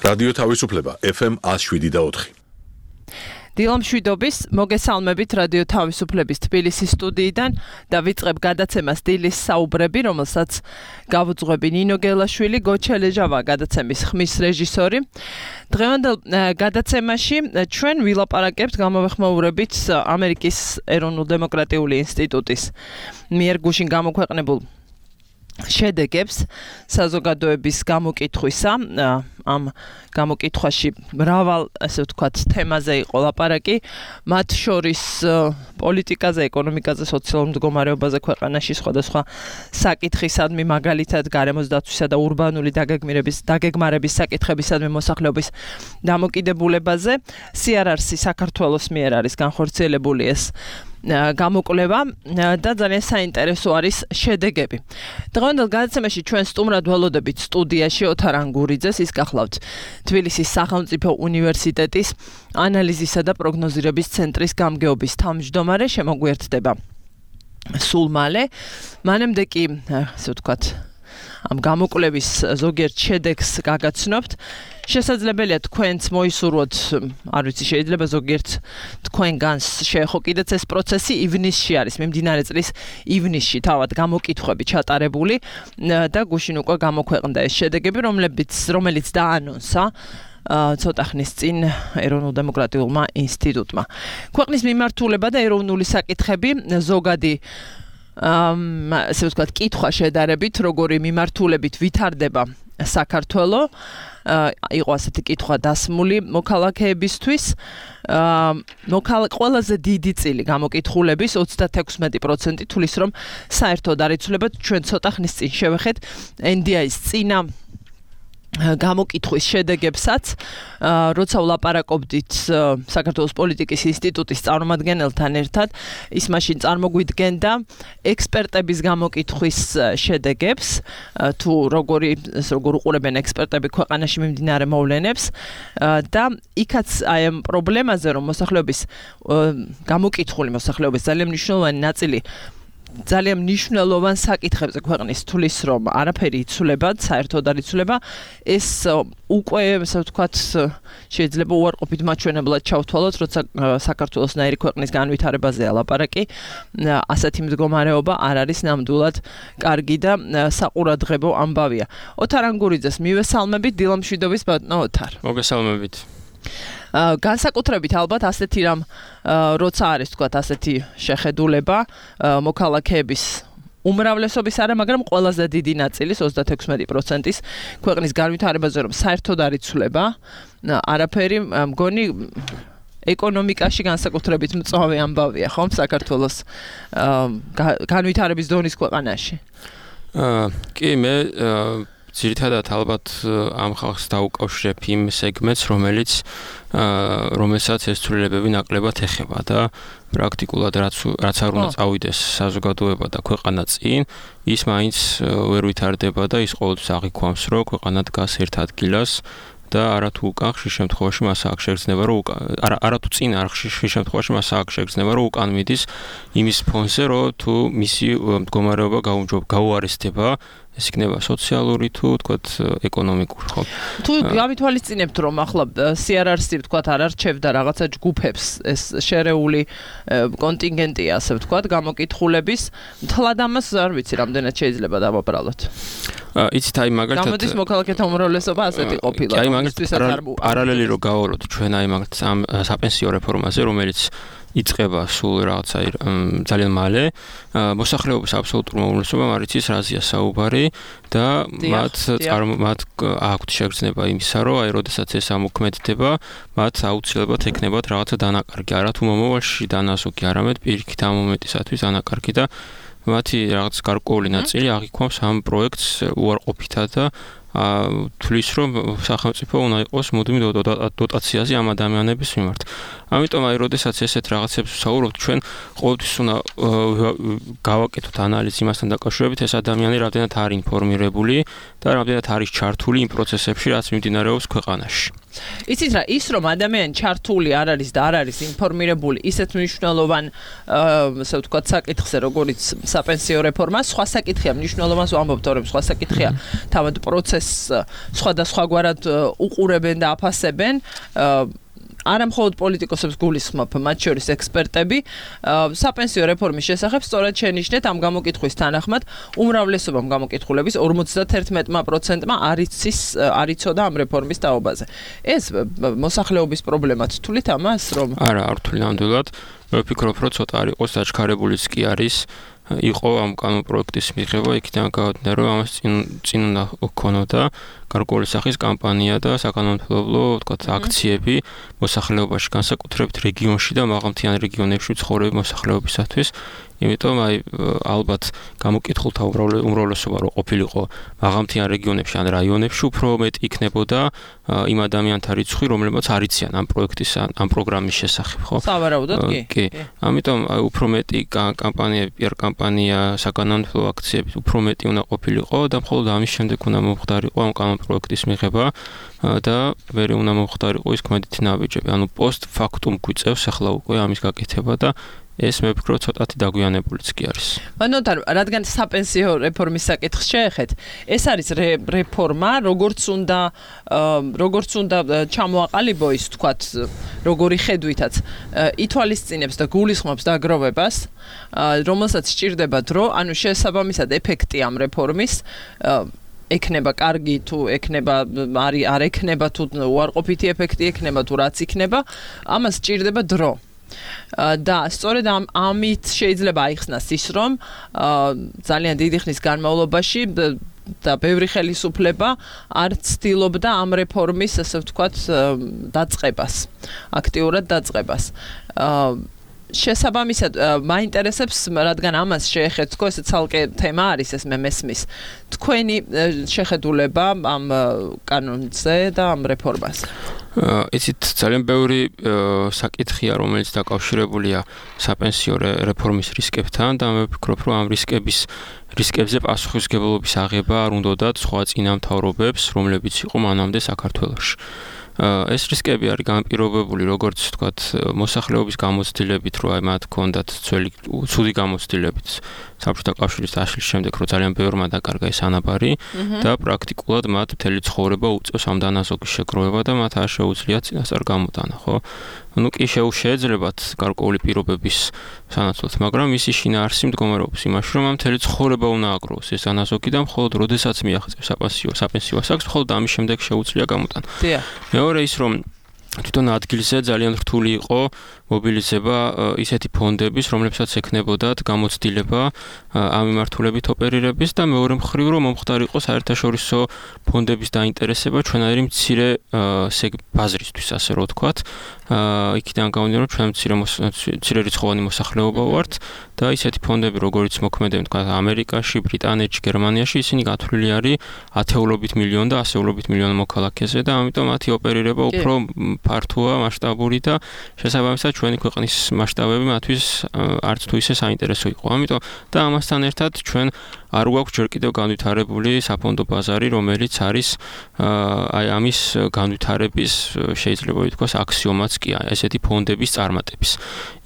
რადიო თავისუფლება FM 107.4. დილამშვიდობის მოგესალმებით რადიო თავისუფლების თბილისის სტუდიიდან და ვიწყებ გადაცემას დილის საუბრები, რომელსაც გავუძღვები ნინო გელაშვილი, გოჩელეჟავა გადაცემის ხმის რეჟისორი. დღევანდელ გადაცემაში ჩვენ ვილაპარაკებთ გამოვეხმაურებით ამერიკის ეროვნულ დემოკრატიული ინსტიტუტის მიერ გუშინ გამოქვეყნებულ შედეგებს საზოგადოების გამოკითხვისა. ამ გამოკითხვაში მრავალ, ასე ვთქვათ, თემაზე იყო ლაპარაკი, მათ შორის პოლიტიკაზე, ეკონომიკაზე, სოციალურ მდგომარეობაზე ქვეყანაში, სხვადასხვა საკითხისადმი, მაგალითად გარემოს დაცვისა და ურბანული დაგეგმარების საკითხებისადმი მოსახლეობის დამოკიდებულებაზე. CRRC საქართველოს მიერ არის განხორციელებული ეს გამოკვლევა და ძალიან საინტერესო არის შედეგები. დღევანდელ გადაცემაში ჩვენ სტუმრად ველოდებით სტუდიაში ოთარ ანგურიძეს, ის გახლავთ თბილისის სახელმწიფო უნივერსიტეტის ანალიზისა და პროგნოზირების ცენტრის გამგეობის თავმჯდომარე, შემოგვიერთდება სულ მალე. მანამდე კი, ასე ვთქვათ, ამ გამოკვლევის ზოგიერთ შედეგს გაგაცნობთ. შესაძლებელია თქვენც მოისურვოთ, არ ვიცი, შეიძლება ზოგიერთ თქვენგანს შეეხო კიდეც ეს პროცესი. ივნისში არის, მიმდინარე წლის ივნისში თავად გამოკითხვები ჩატარებული და გუშინ უკვე გამოქვეყნდა ეს შედეგები, რომელიც დაანონსა ცოტა ხნის წინ ეროვნულ დემოკრატიულმა ინსტიტუტმა. ქვეყნის მიმართულება და ეროვნული საკითხები ზოგადი ასე ვთქვათ, კითხვა შედარებით, როგორი მიმართულებით ვითარდება საქართველო, იყო ასეთი კითხვა დასმული მოქალაქეებისთვის. ყველაზე დიდი წილი გამოკითხულების 36% თulis რომ საერთოდ არ იცვლებათ. ჩვენ ცოტა ხნის წინ შევეხეთ NDI-ის წინა გამოკითხვის შედეგებსაც, როცა ვლაპარაკობდით საქართველოს პოლიტიკის ინსტიტუტის წარმომადგენელთან ერთად, ის მაშინ წარმოგვიდგენდა ექსპერტების გამოკითხვის შედეგებს, თუ როგორ უყურებენ ექსპერტები ქვეყანაში მიმდინარე მოვლენებს და იქაც აი ამ პრობლემაზე, რომ გამოკითხული მოსახლეობის ძალიან მნიშვნელოვანი ნაწილი ძალიან მნიშვნელოვან საკითხებზე ქვეყნის თulis რომ არაფერი იცვლება, საერთოდ არ იცვლება, ეს უკვე, ასე ვთქვათ, შეიძლება უარყოფით მაჩვენებლად ჩავთვალოთ, როცა საქართველოსნაირი ქვეყნის განვითარებაზეა ლაპარაკი, ასეთი მდგომარეობა არ არის ნამდვილად კარგი და საყურადღებო ამბავია. ოთარ ანგურიძეს მივესალმებით, დილამშვიდობის ბატონო ოთარ. მოგესალმებით. განსაკუთრებით ალბათ ასეთი რამ, როცა არის, თქვათ, ასეთი შეხედულება მოქალაქეების უმრავლესობის არა, მაგრამ ყველაზე დიდი ნაწილის 36%-ის ქვეყნის განვითარებაზე რომ საერთოდ არ იცვლება არაფერი, მგონი ეკონომიკაში განსაკუთრებით მწვავე ამბავია, ხომ, საქართველოს განვითარების დონის ქვეყანაში. კი, მე ძირითადად ალბათ ამ ხალხს დაუკავშირებ იმ სეგმენტს, რომელსაც ეს ცვლილებები ნაკლებად ეხება და პრაქტიკულად რაც არ უნდა წავიდეს საზოგადოება და ქვეყანა წინ, ის მაინც ვერ ვითარდება და ის ყოველთვის აღიქვამს, რომ ქვეყანა დგას ერთ ადგილას და არათუ უკან ხშირ შემთხვევაში მას აქ შეგრძნება, რომ არათუ წინ არ ხშირ შემთხვევაში მას აქ შეგრძნება, რომ უკან მიდის იმის ფონზე, რომ თუ მისი მდგომარეობა გაუარესდება, ეს იქნება სოციალური თუ თქვათ ეკონომიკური, ხო? თუ გამითვალისწინებთ, რომ ახლა CRRC თქვათ არ არჩევდა რაღაცა ჯგუფებს, ეს შერეული კონტინგენტია, ასე ვთქვათ, გამოკითხულების, მთლად ამას არ ვიცი, რამდენად შეიძლება დავაბრალოთ. იცით, აი მაგალითად გამოდის მოქალაქეთა უმრავლესობა ასეთი ყოფილა. აი მაგალითად პარალელი რო გავავლოთ ჩვენ აი მაგალითად ამ საპენსიო რეფორმაზე, რომელიც იწყება სულ რაღაცა ძალიან მალე, მოსახლეობის აბსოლუტურმა უმრავლესობამ არ იცის რაზეა საუბარი და მათ აქვთ შეგრძნება იმისა, რომ აი როდესაც ეს ამოქმედდება, მათ აუცილებლად ექნებათ რაღაცა დანაკარგი, არა თუ მომავალში დანაზოგი, არამედ პირიქით ამ მომენტისათვის დანაკარგი და მათი რაღაც გარკვეული ნაწილი აღიქვამს ამ პროექტს უარყოფითად და თulis რომ სახელმწიფო უნდა იყოს მუდმივ დოტაციაზე ამ ადამიანების მიმართ. ამიტომ აი როდესაც ესეთ რაღაცებს ვსაუბრობთ, ჩვენ ყოველთვის უნდა გავაკეთოთ ანალიზი იმასთან დაკავშირებით, ეს ადამიანი რამდენად არის ინფორმირებული და რამდენად არის ჩართული იმ პროცესებში, რაც მიმდინარეობს ქვეყანაში. იცით რა, ის რომ ადამიანი ჩართული არ არის და არ არის ინფორმირებული ისეთ მნიშვნელოვან ასე ვთქვათ საკითხზე, როგორც საპენსიო რეფორმა, სხვა საკითხია მნიშვნელოვანს ვამბობ, თორემ სხვა საკითხია თავად პროცესს სხვადასხვაგვარად უყურებენ და აფასებენ. არა მხოლოდ პოლიტიკოსებს გულისხმობ, მათ შორის ექსპერტები, საპენსიო რეფორმის შესახებ სწორად შენიშნეთ ამ გამოკითხვის თანახმად, უმრავლესობამ გამოკითხულების 51%-მა არ იცოდა ამ რეფორმის თაობაზე. ეს მოსახლეობის პრობლემად თulit ამას, რომ არა, არ თვლი ნამდვილად. მე ვფიქრობ, რომ ცოტა არ იყოს დაჩქარებულიც კი არის. იყო ამ კანონ პროექტის მიღება, იქიდან გავადგინე, რომ ამას წინ უნდა გქონოდა გარკვეული სახის კამპანია და საკანონმდებლო, ვთქვათ, აქციები მოსახლეობაში, განსაკუთრებით რეგიონში და მაღალმთიან რეგიონებში ცხოვრები მოსახლეობისათვის. იმიტომ ალბათ გამოკითხულთა უმრავლესობა რო ყოფილიყო მაღალმთიან რეგიონებში ან რაიონებში, უფრო მეტი იქნებოდა იმ ადამიანთა რიცხვი, რომლებიც არ იციან ამ პროექტის ამ პროგრამის შესახებ, ხო? სავარაუდოდ კი. ამიტომ უფრო მეტი კამპანიები, პიარ კამპანია, საკანონმდებლო აქციები უფრო მეტი უნდა ყოფილიყო და მხოლოდ ამის შემდეგ უნდა მომხდარიყო ამ კანონ პროექტის მიღება და მე უნდა მომხდარიყო ის ქმედითი ნაბიჯები. ანუ პოსტ ფაქტუმ გვიწევს ახლა უკვე ამის გაკეთება და ეს მე ვფიქრობ ცოტათი დაგვიანებულიც კი არის. ანუ რადგან საპენსიო რეფორმის საკითხს შეეხეთ, ეს არის რეფორმა, როგორც უნდა ჩამოაყალიბო ის, თქვათ, როგორი ხედვითაც ითვალისწინებს და გულისხმობს დაგროვებას, რომელსაც სჭირდება დრო, ანუ შესაბამისად ეფექტი ამ რეფორმის ექნება კარგი თუ ექნება არ ექნება თუ უარყოფითი ეფექტი ექნება თუ რაც იქნება, ამას სჭირდება დრო. და სწორედ ამით შეიძლება აიხსნას ის, რომ ძალიან დიდი ხნის განმავლობაში და ბევრი ხელისუფლება არ ცდილობდა ამ რეფორმის, ასე ვთქვათ, დაწყებას, აქტიურად დაწყებას. შესაბამისად, მაინტერესებს, რადგან ამას შეეხეთ, თქო, ეს ცალკე თემა არის, ეს მე მესმის. თქვენი შეხედულება ამ კანონზე და ამ რეფორმაზე. იცით, ძალიან ბევრი საკითხია, რომელიც დაკავშირებულია საპენსიო რეფორმის რისკებთან და მე ვფიქრობ, რომ ამ რისკებზე პასუხისმგებლობის აღება არ უნდათ სხვა წინამთავრობებს, რომლებიც იყო მანამდე საქართველოში. ეს რისკები არის განპირობებული, როგორც ვთქვათ, მოსახლეობის გამოცდილებით, რომ მათ ჰქონდათ ცუდი გამოცდილებით საბჭოთა კავშირის დაშლის შემდეგ, რომ ძალიან ბევრმა დაკარგა ეს ანაბარი და პრაქტიკულად მათ მთელი ცხოვრება უწევს ამ დანაზოგის შეგროვება და მათ არ შეუძლიათ წინასწარ გამოტანა, ხო? ну კი შეეძლებათ გარკვეული პირობების სანაცვლოდ, მაგრამ ისი შინაარსი მდგომარეობს იმაში, რომ ამ მთელი ცხოვრება უნდა აგროვოს ეს დანაზოგი და მხოლოდ როდესაც მიაღწევს საპენსიო ასაკს, მხოლოდ ამის შემდეგ შეუძლია გამოტანა. მეორე ის, რომ თვითონ ადგილზე ძალიან რთული იყო მობილიზება ისეთი ფონდების, რომლებსაც ექნებოდათ გამოცდილება ამ მიმართულებით ოპერირების და მეორე მხრივ, რომ მომხდარიყო საერთაშორისო ფონდების დაინტერესება ჩვენაირი მცირე ბაზრისთვის, ასე რომ ვთქვათ. იქიდან გამომდინარე, რომ ჩვენ მცირე რიცხოვანი მოსახლეობა ვართ და ისეთი ფონდები, როგორც მოქმედები, თქვა ამერიკაში, ბრიტანეთში, გერმანიაში, ისინი გათვლილი არის ათეულობით მილიონ და ასეულობით მილიონ მოქალაქეზე და ამიტომ მათი ოპერირება უფრო ფართოა, მასშტაბური და შესაბამისად ჩვენი ქვეყნის მასშტაბები მათთვის არც თუ ისე საინტერესო იყო. ამიტომ და ამასთან ერთად ჩვენ არ გვაქვს ჯერ კიდევ განვითარებული საფონდო ბაზარი, რომელიც არის აი ამის განვითარების შეიძლება ითქვას აქსიომაც კი ესეთი ფონდების წარმატების.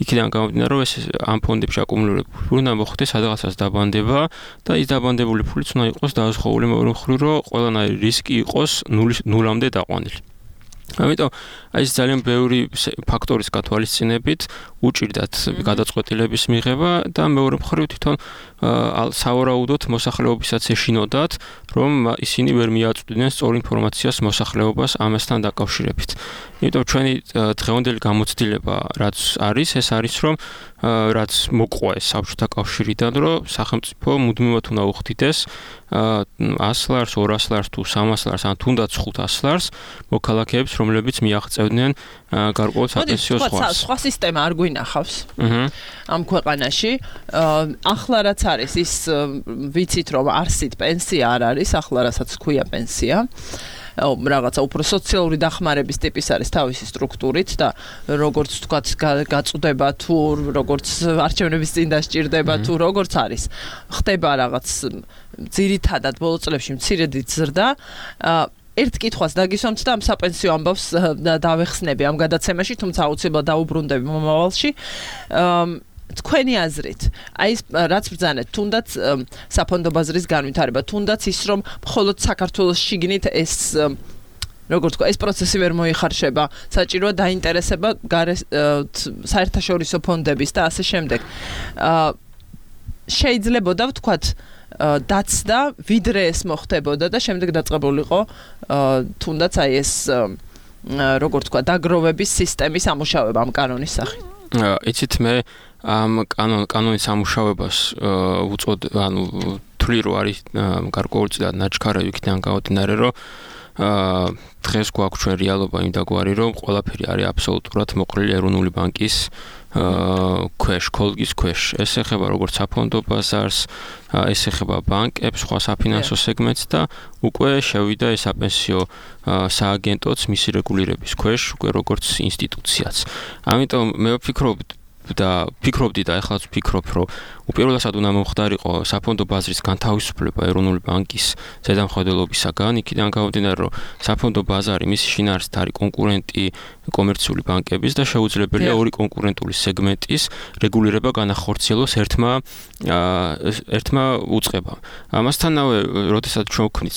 იქიდან გამომდინარე, რომ ეს ამ ფონდებში აკუმულირებული ფული უნდა მოხდეს სადღაცას დაბანდება და ის დაბანდებული ფულიც უნდა იყოს დაუზღაული მეორე მხრივ, რომ ყველანაირი რისკი იყოს ნულამდე დაყვანილი. ამიტომ ეს ძალიან ბევრი ფაქტორის გათვალისწინებით უჭირდათ გადაწყვეტილების მიღება და მეორე მხრივ თვითონ სავარაუდოდ მოსახლეობისაც ეშინოდათ, რომ ისინი ვერ მიაწვდნენ სწორ ინფორმაციას მოსახლეობას ამასთან დაკავშირებით. იმიტომ ჩვენი დღევანდელი გამოცდილება რაც არის, ეს არის, რომ რაც მოყვა ეს საბჭოთა კავშირიდან, რომ სახელმწიფო მუდმივად უნდა უხდიდეს 100 ლარს, 200 ლარს თუ 300 ლარს, ან თუნდაც 500 ლარს მოქალაქეებს, რომლებიც მიაღწევდნენ გარკვეულ საპენსიო ზღვას. სხვა სისტემა არ გვინახავს ამ ქვეყანაში. ახლა რაც არის, ის ვიცით, რომ არსით პენსია არ არის, ახლა რასაც ქვია პენსია. რაღაცა უფრო სოციალური დახმარების ტიპის არის თავისი სტრუქტურით და როგორც თქვათ გაწუდება თუ როგორც არჩევნების წინ დასჭირდება თუ როგორც არის ხდება რაღაც ძირითადად ბოლო წლებში მცირედი ზრდა ერთ კითხვას დაგისვამთ და ამ საპენსიო ამბავს დავეხსნები ამ გადაცემაში, თუმცა აუცილებლად დაუბრუნდები მომავალში. თქვენი აზრით, აი ეს რაც ბრძანეთ, თუნდაც საფონდო ბაზრის განვითარება, თუნდაც ის რომ მხოლოდ საქართველოს შიგნით ეს როგორც თქვა, ეს პროცესი ვერ მოიხარშება, საჭიროა დაინტერესება საერთაშორისო ფონდების და ასე შემდეგ. შეიძლებოდა ვთქვათ დაცდა ვიდრე ეს მოხდებოდა და შემდეგ დაწყებულიყო თუნდაც აი ეს როგორ თქვა დაგროვების სისტემის ამუშავება ამ კანონის სახით. იცით მე ამ კანონის ამუშავებას უწოდ ანუ თვლი რო არის გარკვეულწილად ნაჩქარევი იქიდან გამომდინარე რომ დღეს გვაქვს ჩვენ რეალობა იმდაგვარი რომ ყველაფერი არის აბსოლუტურად მოყრილი ეროვნული ბანკის ქვეშ, კოლგის ქვეშ. ეს ეხება როგორც საფონდო ბაზარს, ეს ეხება ბანკებს, სხვა საფინანსო სეგმენტს და უკვე შევიდა ეს საპენსიო სააგენტოც მისი რეგულირების ქვეშ, უკვე როგორც ინსტიტუციაც. ამიტომ მე ვფიქრობდი და ახლაც ვფიქრობ, რომ უპირველესად უნდა მომხდარიყო საფონდო ბაზრის განთავისუფლება ეროვნული ბანკის ზედამხედველობისაგან, იქიდან გამომდინარე, რომ საფონდო ბაზარი მისი შინაარსით არის კონკურენტი კომერციული ბანკების და შეუძლებელია ორი კონკურენტული სეგმენტის რეგულირება განახორციელოს ერთმა უწყებამ. ამასთანავე, როდესაც ჩვენ ვქნით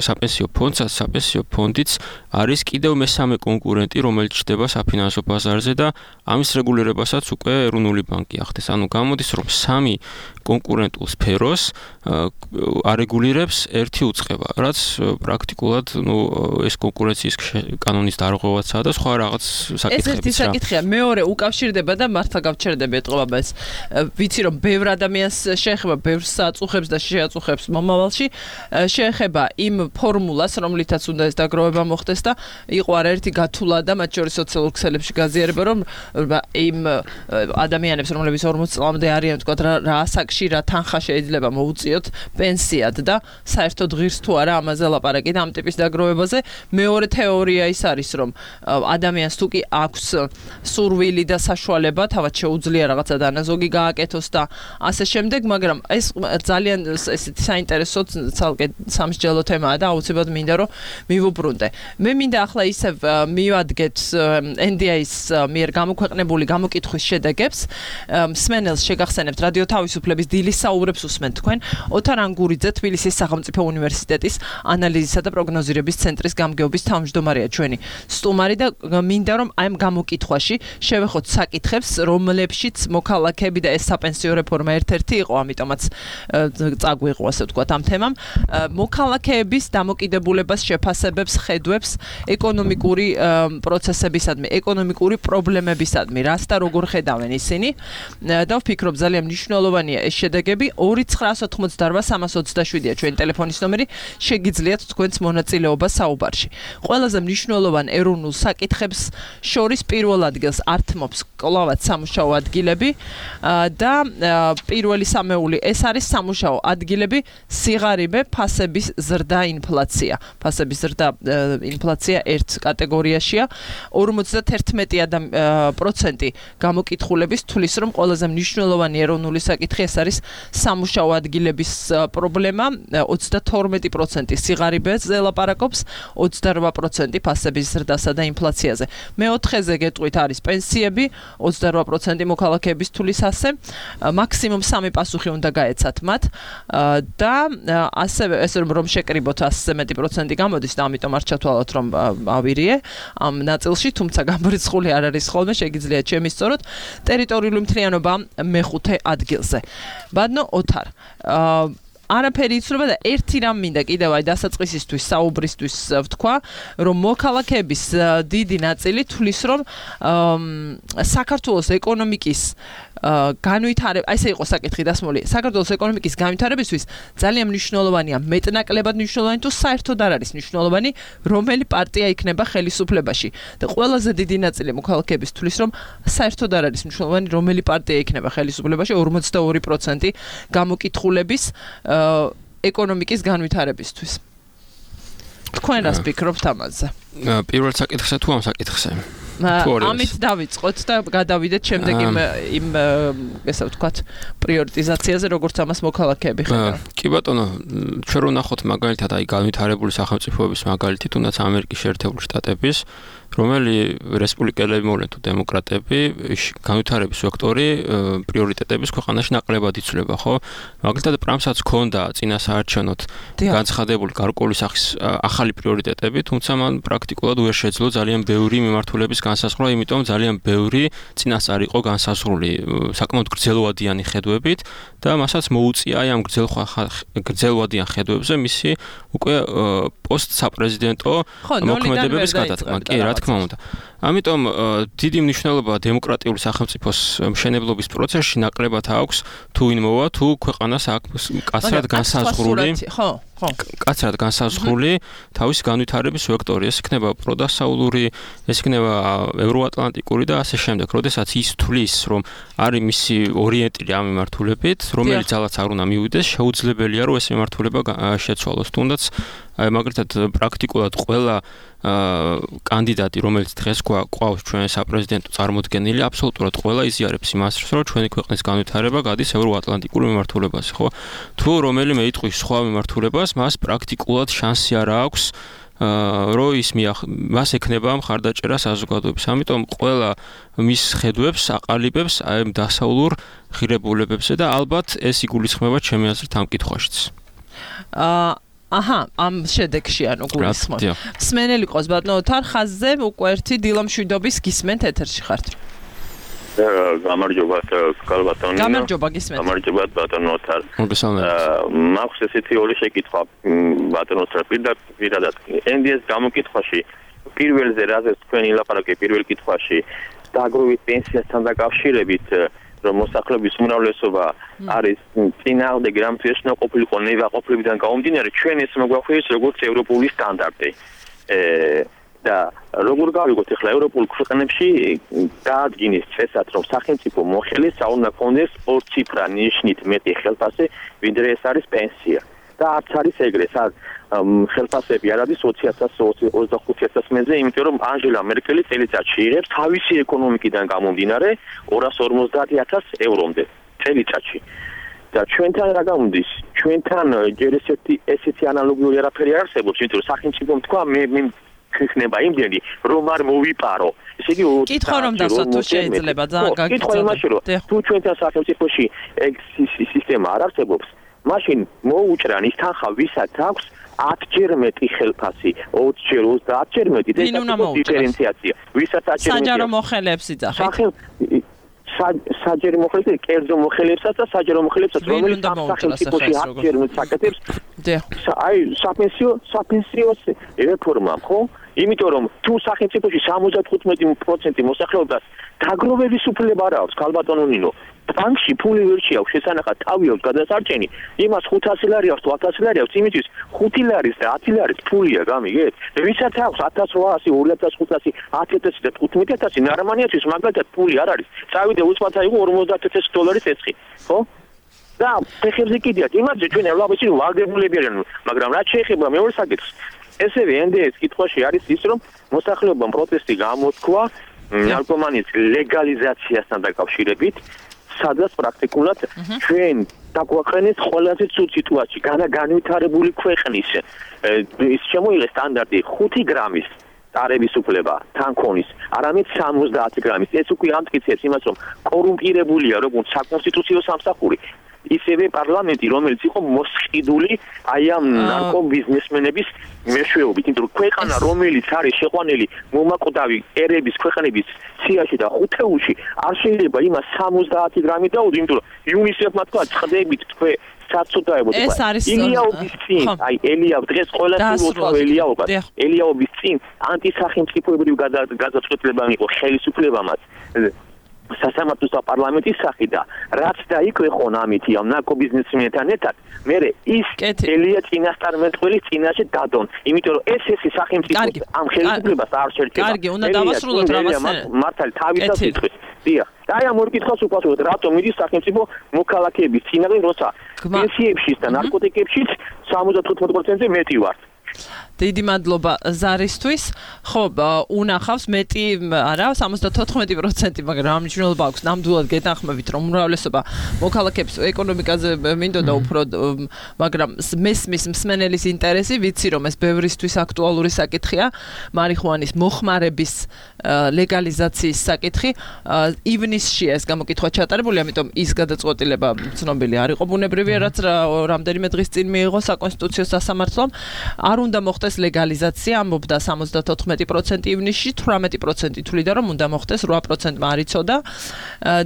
საპენსიო ფონდსაც, საპენსიო ფონდიც არის კიდევ მესამე კონკურენტი, რომელიც ჩნდება საფინანსო ბაზარზე და ამის რეგულირებასაც უკვე ეროვნული ბანკი ახდენს. ანუ გამოდის, რომ სამი კონკურენტულ სფეროს არეგულირებს ერთი უწყება, რაც პრაქტიკულად ეს კონკურენციის კანონის დარღვევაცაა და სხვა რაღაც საკითხებიც. ეს ერთი საკითხია, მეორე უკავშირდება და მართლა გავჩერდები ეტყობა ეს. ვიცი რომ ბევრ ადამიანს შეეხება, ბევრს აწუხებს და შეაწუხებს მომავალში, შეეხება იმ ფორმულას, რომლითაც უნდა ეს დაგროვება მოხდეს და იყო არაერთი გათვლა და მათ შორის სოციალურ ქსელებში გაზიარება, რომ იმ ადამიანებს, რომლებიც 40 წლამდე არიან, თქვა რა ასაკში, რა თანხა შეიძლება მოუწიოთ პენსიად და საერთოდ ღირს თუ არა ამაზე ლაპარაკი და ამ ტიპის დაგროვებაზე. მეორე თეორია ის არის, რომ ადამიანს თუ კი აქვს სურვილი და საშუალება, თავად შეუძლია რაღაცა დანაზოგი გააკეთოს და ასე შემდეგ, მაგრამ ეს ძალიან ესეთი საინტერესო ცალკე სამსჯელო თემაა და აუცილებლად მინდა რომ მივუბრუნდე. მე მინდა ახლა ისევ მივადგეთ NDI-ის მიერ გამოქვეყნებული გამოკითხვის შედეგებს. მსმენელს შეგახსენებთ რადიო თავისუფლების დილის საუბრებს უსმენთ თქვენ. ოთარ ანგურიძე, თბილისის სახელმწიფო უნივერსიტეტის ანალიზისა და პროგნოზირების ცენტრის გამგეობის თავმჯდომარეა ჩვენი სტუმარი და მინდა რომ აი ამ გამოკითხვაში შევეხოთ საკითხებს, რომლებშიც მოქალაქეები და ეს საპენსიო რეფორმა ერთ-ერთი იყო, ამიტომაც წაგვიღო ასე ვთქვათ ამ თემამ. მოქალაქეების დამოკიდებულებას შეფასებებს, ხედვებს ეკონომიკური პროცესებისადმი, ეკონომიკური პრობლემებისადმი, რას და როგორ ხედავენ ისინი და ვფიქრობ ძალიან მნიშვნელოვანია ეს შედეგები. 2988327-ია ჩვენი ტელეფონის ნომერი, შეგიძლიათ თქვენს მონაწილეობა საუბარში. ყველაზე მნიშვნელოვან ეროვნულ საკითხებს შორის პირველ ადგილს ართმობს კლავად სამუშაო ადგილები და პირველი სამეული ეს არის სამუშაო ადგილები, სიღარიბე, ფასების ზრდა, ინფლაცია. ფასების ზრდა, ინფლაცია ერთ კატეგორიაშია. 51% გამოკითხულების თulis რომ ყველაზე მნიშვნელოვანი ეროვნული საკითხი ეს არის სამუშაო ადგილების პრობლემა. 32% სიღარიბეზე ლაპარაკობს, 28% ფასების ზრდასა და ინფლაციაზე. მეოთხეზე გეტყვით არის პენსიები, 28% მოქალაქეების თulis ასე. მაქსიმუმ 3 პასუხი უნდა გაეცათ მათ და ასევე ეს რომ შეკრიბოთ 100-ზე მეტი პროცენტი გამოდის და ამიტომ არ ჩათვალოთ რომ ავირიე ამ ნაწილში, თუმცა გამორიცხული არ არის ხოლმე, შეგიძლიათ შემისწოროთ. ტერიტორიული მთლიანობა მეხუთე ადგილზე. ბადნო ოთარ არაფერი იცვლება და ერთი რამ მინდა კიდევ აი დასაწყისისთვის საუბრისთვის ვთქვა, რომ მოქალაქეების დიდი ნაწილი თulis რომ საქართველოს ეკონომიკის განვითარება, აი ესე იყო საკითხი დასმული, საქართველოს ეკონომიკის განვითარებისთვის ძალიან მნიშვნელოვანია, მეტნაკლებად მნიშვნელოვანი თუ საერთოდ არ არის მნიშვნელოვანი, რომელი პარტია იქნება ხელისუფლებაში. და ყველაზე დიდი ნაწილი მოქალაქეების თulis რომ საერთოდ არ არის მნიშვნელოვანი, რომელი პარტია იქნება ხელისუფლებაში, 42% გამოკითხულების ეკონომიკის განვითარებისთვის. თქვენ რას ფიქრობთ ამაზე? პირველ საკითხზე თუ ამ საკითხზე? ამით დავიწყოთ და გადავიდეთ შემდეგ იმ ესე ვთქვათ პრიორიტიზაციაზე, როგორც ამას მოქალაქეები ხედავენ. კი ბატონო, ჩვენ რო ნახოთ მაგალითად აი განვითარებული სახელმწიფოების მაგალითი, თუნდაც ამერიკის შეერთებული შტატების, რომელი რესპუბლიკელები მოვლენ თუ დემოკრატები, განვითარების ვექტორი პრიორიტეტების ქვეყანაში ნაკლებად იცვლება, ხო? მაგალითად პრამსაც ჰქონდა წინასაარჩევნოდ განცხადებული გარკვეული სახის ახალი პრიორიტეტები, თუმცა მან პრაქტიკულად ვერ შეძლო ძალიან ბევრი მიმართულების განსაზღვრა, იმიტომ ძალიან ბევრი წინასწარ იყო განსაზღვრული საკმაოდ გრძელვადიანი ხედვებით და მასაც მოუწია აი ამ გრძელვადიან ხედვებზე მისი უკვე პოსტსაპრეზიდენტო მოქმედებების გადატანა. კი, რა თქმა უნდა. ამიტომ დიდი მნიშვნელობა დემოკრატიული სახელმწიფოს მშენებლობის პროცესში ნაკლებად აქვს თუ ვინ მოვა, თუ ქვეყანას აქვს კაცრად განსაზღვრული თავისი განვითარების ვექტორი. ეს იქნება პროდასავლური, ეს იქნება ევროატლანტიკური და ასე შემდეგ. როდესაც ის თვლის, რომ არის მისი ორიენტირი ამ მიმართულებით, რომელიც ძალაც არ უნდა მივიდეს, შეუძლებელია, რომ ეს მიმართულება შეცვალოს. თუნდაც მაგალითად პრაქტიკულად ყველა კანდიდატი, რომელიც დღეს გვყავს ჩვენ საპრეზიდენტო წარმოდგენილი, აბსოლუტურად ყველა იზიარებს იმას, რომ ჩვენი ქვეყნის განვითარება გადის ევროატლანტიკურ მიმართულებაზე, ხო? თუ რომელიმე იტყვის სხვა მიმართულებას, მას პრაქტიკულად შანსი არ აქვს რომ ის მას ექნება მხარდაჭერა საზოგადოების. ამიტომ ყველა მის ხედვებს აყალიბებს აი ამ დასავლურ ღირებულებებზე და ალბათ ეს იგულისხმება ჩემი აზრით ამ კითხვაშიც. ამ შედეგში ანუ გულისხმობ. მსმენელი ყავს ბატონო თარ ხაზზე უკვე ერთი დილამშვიდობის გისმენთ ეთერში ხართ. გამარჯობა ბატონო. გამარჯობა გისმენთ. გამარჯობა ბატონო თარ. მაქვს ესეთი ორი შეკითხვა ბატონო თარ პირადად. NDS გამოკითხვაში პირველზე რაზეც თქვენ ილაპარაკეთ პირველ კითხვაში დაგროვით პენსიასთან დაკავშირებით რომ მოსახლეობის უმრავლესობა არის წინააღმდეგ რამთვიეს უნდა ყოფილიყო ნებაყოფლებიდან გამომდინარე ჩვენ ეს მოგვახვიეს როგორც ევროპული სტანდარტი და როგორ გავიგოთ ახლა ევროპულ ქვეყნებში დაადგინეს წესად რომ სახელმწიფო მოხელეს უნდა კონდეს ორციფრა ნიშნით მეტი ხელფასი ვიდრე ეს არის პენსია და არც არის ეგრე ხელფასები არ არის 20,000-25,000 მეზე, იმიტომ რომ ანჯელა მერკელი წელიწადში იღებს თავისი ეკონომიკიდან გამომდინარე 250,000 ევრომდე წელიწადში. და ჩვენთან რა გამოდის? ჩვენთან ჯერ ესეთი ანალოგიური არაფერი არ არსებობს, იმიტომ რომ სახელმწიფომ თქვა მე ქნება იმდენი რომ არ მოვიპარო. ესე იგი კითხვა რომ დასვათ თუ შეიძლება ძალიან გაგიწევთ. კითხვა იმაში რომ თუ ჩვენთან სახელმწიფოში ეგ სისტემა არ არსებობს, მაშინ მოუჭრან ის თანხა ვისაც აქვს 10-ჯერ მეტი ხელფასი, 20-ჯერ, 30-ჯერ მეტი და ეს დიფერენციაცია. ვისაც 10-ჯერ მეტი საჯარო მოხელეებს იძახით. საჯარო მოხელეებს, კერძო მოხელეებსაც და საჯარო მოხელეებსაც, რომელიც სახელმწიფოში 10-ჯერ მეტ საკეთებს. აი, საპენსიო რეფორმა, ხო? იმიტომ რომ თუ სახელმწიფოში 75% მოსახლეობას დაგროვების უფლება არ აქვს, ქალბატონო ნინო. ბანკში ფული ვერ შეაქვს, შესანახად თავი აქვს გადასარჩენი, იმას 500 ლარი აქვს, 1000 ლარი აქვს, იმისთვის 5 ლარის და 10 ლარის ფულია, გამიგეთ? ვისაც აქვს 1800, 2500, 10,000 და 15,000 ნარმანიათვის მაგალითად ფული არ არის. წავიდე უცბად აიღო 50,000 დოლარის ეცხი, ხო? და ფეხებზე კიდიათ, იმაზე ჩვენ ევროპაში ვალდებულები არიან, მაგრამ რაც შეეხება მეორე საკითხს, ესევე NDS კითხვაში არის ის, რომ მოსახლეობამ პროტესტი გამოთქვა ნარკომანიის ლეგალიზაციასთან დაკავშირებით. სადაც პრაქტიკულად ჩვენ დაგვაყენეს ყველაზე ცუდ სიტუაციაში განვითარებული ქვეყნის ის შემოიღეს სტანდარტი 5 გრამის ტარების უფლება თანქონის არამედ 70 გრამის ეს უკვე ამტკიცებს იმას რომ კორუმპირებულია როგორც საკონსტიტუციო სამსახური ისევე პარლამენტი რომელიც იყო მოსყიდული აი ამ ნარკობიზნესმენების მეშვეობით იმიტომ რომ ქვეყანა რომელიც არის შეყვანილი მომაკვდავი ერების ქვეყნების სიაში და ხუთეულში არ შეიძლება იმას 70 გრამი დაუდო იმიტომ რომ იუნისეფმა თქვა წდებით თქვენ საწოდაებოდ ელიაობის წინ აი ელიაობ დღეს ყველასთვის უცხო ელიაობას ელიაობის წინ ანტისახელმწიფოებრივი გადაწყვეტილება იყო ხელისუფლებამაც სასამართლოს და პარლამენტის სახით და რაც დაიქვეხონ ამითი ამ ნარკობიზნესმენთან ერთად მე ის ელია წინასწარმეტყველის წინაშე დადონ იმიტომ რომ ეს სახელმწიფო ამ ხელისუფლებას არ შეერჩება კარგი უნდა დავასრულოთ რაღაცა მართალი თავისას იტყვის დიახ და აი ამ ორ კითხვას უპასუხოთ რატომ მიდის სახელმწიფო მოქალაქეების წინაღე როცა პენსიებშიც და ნარკოტიკებშიც 75%-ზე მეტი ვართ დიდი მადლობა ზარისთვის. ხო, უნახავს მეტი არა 74%, მაგრამ ამ მნიშვნელობა აქვს. ნამდვილად გეთანხმებით, რომ უმრავლესობა მოქალაქეების ეკონომიკაზე მინდოდა უფრო, მაგრამ მესმის მსმენელის ინტერესი, ვიცი რომ ეს ბევრისთვის აქტუალური საკითხია, მარიხუანის მოხმარების ლეგალიზაციის საკითხი. ივნისში ეს გამოკითხვა ჩატარებული, ამიტომ ის გადაწყვეტილება ცნობილი არ იყო ბუნებრივია, რაც რამდენიმე დღის წინ მიიღო საკონსტიტუციო სასამართლომ. არ უნდა მოხდეს ლეგალიზაცია, ამბობდა 74% ივნისში, 18% თვლიდა რომ უნდა მოხდეს, 8%-მა არ იცოდა.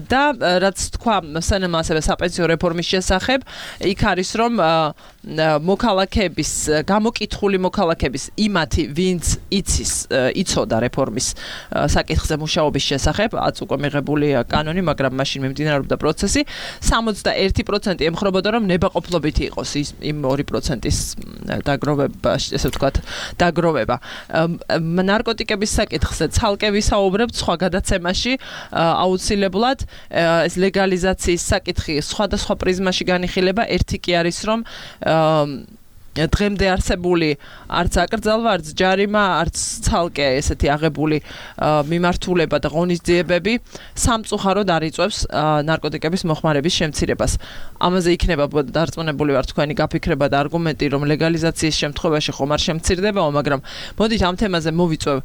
და რაც თქვა სენემ ასევე საპენსიო რეფორმის შესახებ, იქ არის რომ მოქალაქეების გამოკითხული მოქალაქეების იმათი, ვინც იცოდა რეფორმის საკითხზე მუშაობის შესახებ, უკვე მიღებული კანონი, მაგრამ მაშინ მიმდინარეობდა პროცესი, 61% ემხრობოდა რომ ნებაყოფლობითი იყოს იმ 2%-ის დაგროვება, ესე ვთქვათ, დაგროვება. ნარკოტიკების საკითხზე ცალკე ვისაუბრებთ სხვა გადაცემაში, აუცილებლად ეს ლეგალიზაციის საკითხი სხვადასხვა პრიზმაში განიხილება, ერთი კი არის რომ დღემდე არსებული არც აკრძალვა, არც ჯარიმა, არც ცალკე ესეთი აღებული მიმართულება და ღონისძიებები სამწუხაროდ არ იწვევს ნარკოტიკების მოხმარების შემცირებას. ამაზე იქნება დარწმუნებული ვარ თქვენი გაფიქრება და არგუმენტი, რომ ლეგალიზაციის შემთხვევაში ხომ არ შემცირდებაო, მაგრამ მოდით ამ თემაზე მოვიწვევ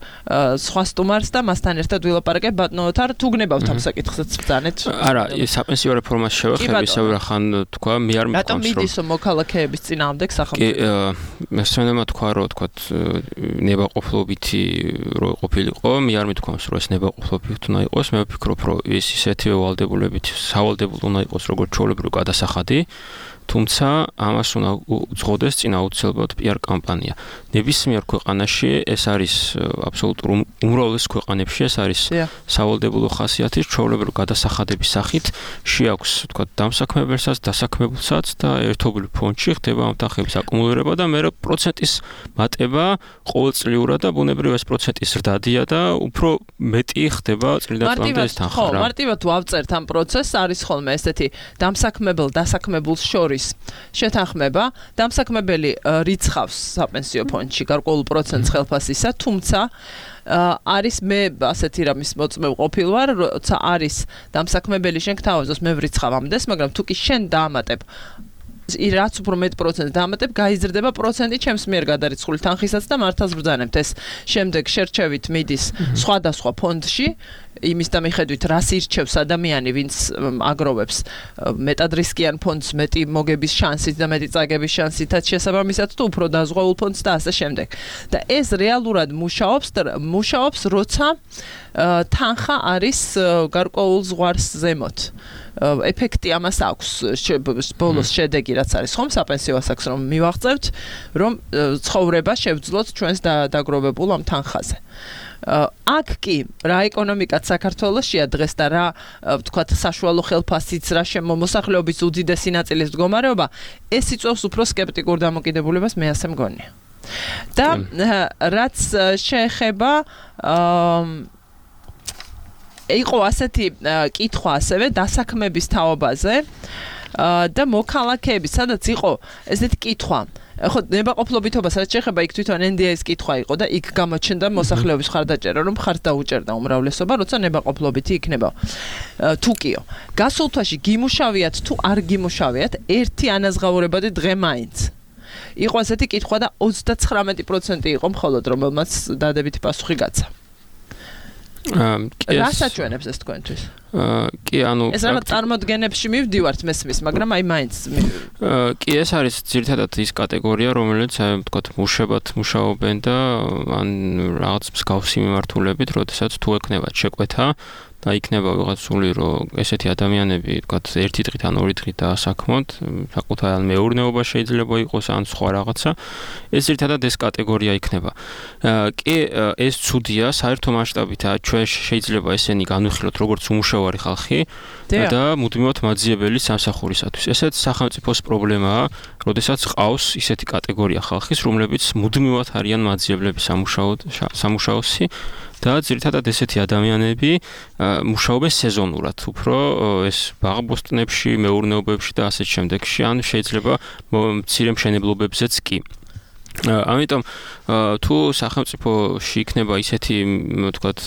სხვა სტუმარს და მასთან ერთად ვილაპარაკებ. ბატონო ოთარ, თუ გნებავთ ამ საკითხზეც ბრძანეთ? არა, საპენსიო რეფორმას შევეხები, ისევ რახან თქვა, მე არ მგონს რომ რატომ მიდის მოქალაქეების წინააღმდეგ სახელმწიფო? მესწრენელმა თქვა რომ თქვათ ნებაყოფლობითი რო ყოფილიყო, მე არ მithქვამს რომ ეს ნებაყოფლობითი უნდა იყოს, მე ვფიქრობ რომ ეს ისეთივე ვალდებულებითი სავალდებულო უნდა იყოს როგორც ჩვეულებრივი გადასახადი, თუმცა ამას უნდა უძღოდეს წინ აუცილებლად PR კამპანია. ნებისმიერ ქვეყანაში ეს არის აბსოლუტურ უმრავლეს ქვეყანებში ეს არის სავალდებულო ხასიათის ჩვეულებრივი გადასახადების სახით შეაქვს თქვათ დამსაქმებელსაც, დასაქმებულსაც და ერთობლივ ფონდში ხდება ამ თანხების აკუმულირება და მე პროცენტის მატება ყოველწლიურად და ბუნებრივ ეს პროცენტის ზრდადია და უფრო მეტი ხდება წლიდან წლამდე ეს თანხა. ხო, მარტივად ვავწერთ ამ პროცესს, არის ხოლმე ესეთი დასაქმებულს შორის შეთანხმება, დამსაქმებელი რიცხავს საპენსიო ფონდში გარკვეულ პროცენტს ხელფასისა, თუმცა არის მე ასეთი რამის მოწმე ყოფილ ვარ, როცა არის დამსაქმებელი შენ გთავაზობს მე ვრიცხავ ამდენს, მაგრამ თუ კი შენ დაამატებ რაც უფრო მეტ პროცენტს დაამატებ, გაიზრდება პროცენტი ჩემს მიერ გადარიცხული თანხისაც და მართავს ბრძანებთ ეს. შემდეგ შერჩევით მიდის სხვადასხვა ფონდში, იმის და მიხედვით რას ირჩევს ადამიანი, ვინც აგროვებს მეტად რისკიან ფონდს, მეტი მოგების შანსით და მეტი წაგების შანსითაც შესაბამისად თუ უფრო დაზღვეულ ფონდს და ასე შემდეგ. და ეს რეალურად მუშაობს, როცა თანხა არის გარკვეულ ზღვარს ზემოთ. ეფექტი ამას აქვს, ბოლოს შედეგი რაც არის ხომ საპენსიო ასაკს რომ მივაღწევთ, რომ ცხოვრება შევძლოთ ჩვენს დაგროვებულ ამ თანხაზე. აქ კი რა ეკონომიკაც საქართველოშია დღეს და რა ვთქვათ საშუალო ხელფასიც, რა მოსახლეობის უდიდესი ნაწილის მდგომარეობა, ეს იწვევს უფრო სკეპტიკურ დამოკიდებულებას, მე ასე მგონია. და რაც შეეხება იყო ასეთი კითხვა ასევე დასაქმების თაობაზე და მოქალაქეების, სადაც იყო ესეთი კითხვა. ხო, ნებაყოფლობითობას რაც შეეხება, იქ თვითონ NDA-ის კითხვა იყო და იქ გამოჩნდა მოსახლეობის ხარდაჭერა, რომ ხარს დაუჭერდა უმრავლესობა, როცა ნებაყოფლობითი იქნება. თუკიო, გასულ თვეში გიმუშავიათ თუ არ გიმუშავიათ, ერთი ანაზღაურებადი დღე მაინც. იყო ასეთი კითხვა და 39% იყო მხოლოდ, რომელმაც დადებითი პასუხი გაცა. რას აჩვენებს ეს თქვენთვის? კი, ანუ ეს რაღაც წარმოდგენებში მივდივართ მესმის, მაგრამ აი მაინც კი, ეს არის ძირითადად ის კატეგორია, რომელიც ვთქვათ მუშებად მუშაობენ და ან რაღაც მსგავსი მიმართულებით, როდესაც თუ ეკნებათ შეკვეთა და იქნება ვიღაც სული, რომ ესეთი ადამიანები, ვთქვათ, ერთი დღით ან ორი დღით დაასაქმოთ, საკუთარ ან მეურნეობა შეიძლება იყოს ან სხვა რაღაცა, ეს ძირითადად ეს კატეგორია იქნება. კი, ეს ცუდია, საერთო მასშტაბით ჩვენ შეიძლება ესენი განვიხილოთ როგორც უმუშევარი ხალხი და მუდმივად მაძიებელი სამსახურისათვის. ესეც სახელმწიფოს პრობლემაა, როდესაც ყავს ისეთი კატეგორია ხალხის, რომლებიც მუდმივად არიან მაძიებლები სამუშაოსი და ძირითადად ესეთი ადამიანები მუშაობენ სეზონურად, უფრო ეს ბაღბოსტნებში, მეურნეობებში და ასეთ შემდეგში, ან შეიძლება მცირე მშენებლობებზეც კი. ამიტომ თუ სახელმწიფოში იქნება ისეთი თქვათ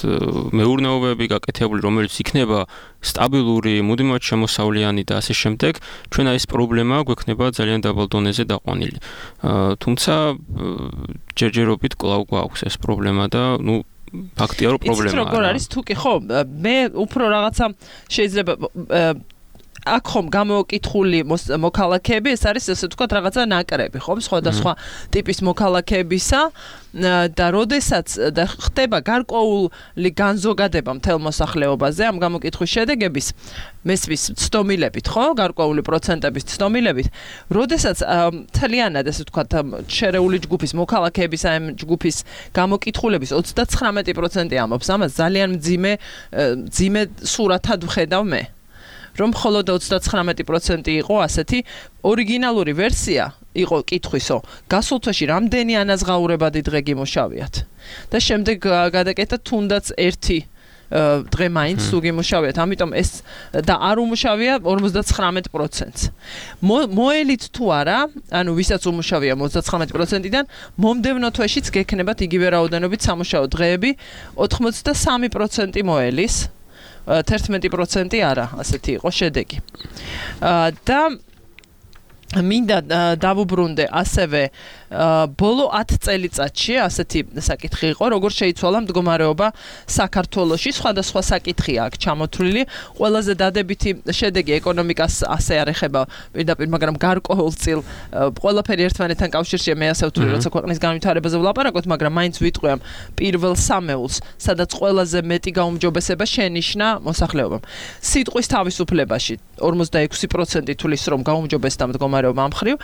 მეურნეობები გაკეთებული, რომელიც იქნება სტაბილური, მუდმივად შემოსავლიანი და ასე შემდეგ, ჩვენ ეს პრობლემა გვექნება ძალიან დაბალ დონეზე დაყვანილი. თუმცა ჯერჯერობით კვლავ გვაქვს ეს პრობლემა და ფაქტია რომ პრობლემაა. ის როგორ არის თუ კი ხო მე უფრო რაღაცა შეიძლება აქ ხომ გამოკითხული მოქალაქეები ეს არის ესე ვთქვათ რაღაცა ნაკრები ხომ სხვადასხვა ტიპის მოქალაქეებისა და როდესაც ხდება გარკვეული განზოგადება მთელ მოსახლეობაზე ამ გამოკითხვის შედეგების მესმის ცდომილებით ხო გარკვეული პროცენტების ცდომილებით როდესაც თლიანად ესე ვთქვათ შერეული ჯგუფის მოქალაქეების ამ ჯგუფის გამოკითხულების 39% ამბობს ამას ძალიან მძიმე სურათად ვხედავ მე რომ მხოლოდ 39% იყო ასეთი ორიგინალური ვერსია იყო კითხვისო გასულ თვეში რამდენი ანაზღაურებადი დღე გიმუშავიათ და შემდეგ გადაკეთა თუნდაც ერთი დღე მაინც თუ გიმუშავიათ ამიტომ ეს და არ უმუშავია 59%-ს მოელით თუ არა ანუ ვისაც უმუშავია 39%-დან მომდევნო თვეშიც გექნებათ იგივე რაოდენობით სამუშაო დღეები 83% მოელის 11% არა, ასეთი იყო შედეგი. და მინდა დავუბრუნდე ასევე ბოლო 10 წელიწადში ასეთი საკითხი იყო, როგორ შეიცვალა მდგომარეობა საქართველოში, სხვადასხვა საკითხია აქ ჩამოთვლილი, ყველაზე დადებითი შედეგი ეკონომიკას ასე არ ეხება პირდაპირ, მაგრამ გარკვეულწილ ყველაფერი ერთმანეთთან კავშირშია, მე ასე ვთვლი, როცა ქვეყნის განვითარებაზე ვლაპარაკობთ, მაგრამ მაინც ვიტყვი ამ პირველ სამეულს, სადაც ყველაზე მეტი გაუმჯობესება შენიშნა მოსახლეობამ. სიტყვის თავისუფლებაში 46% თulis რომ გაუმჯობესდა მდგომარეობა ამ მხრივ,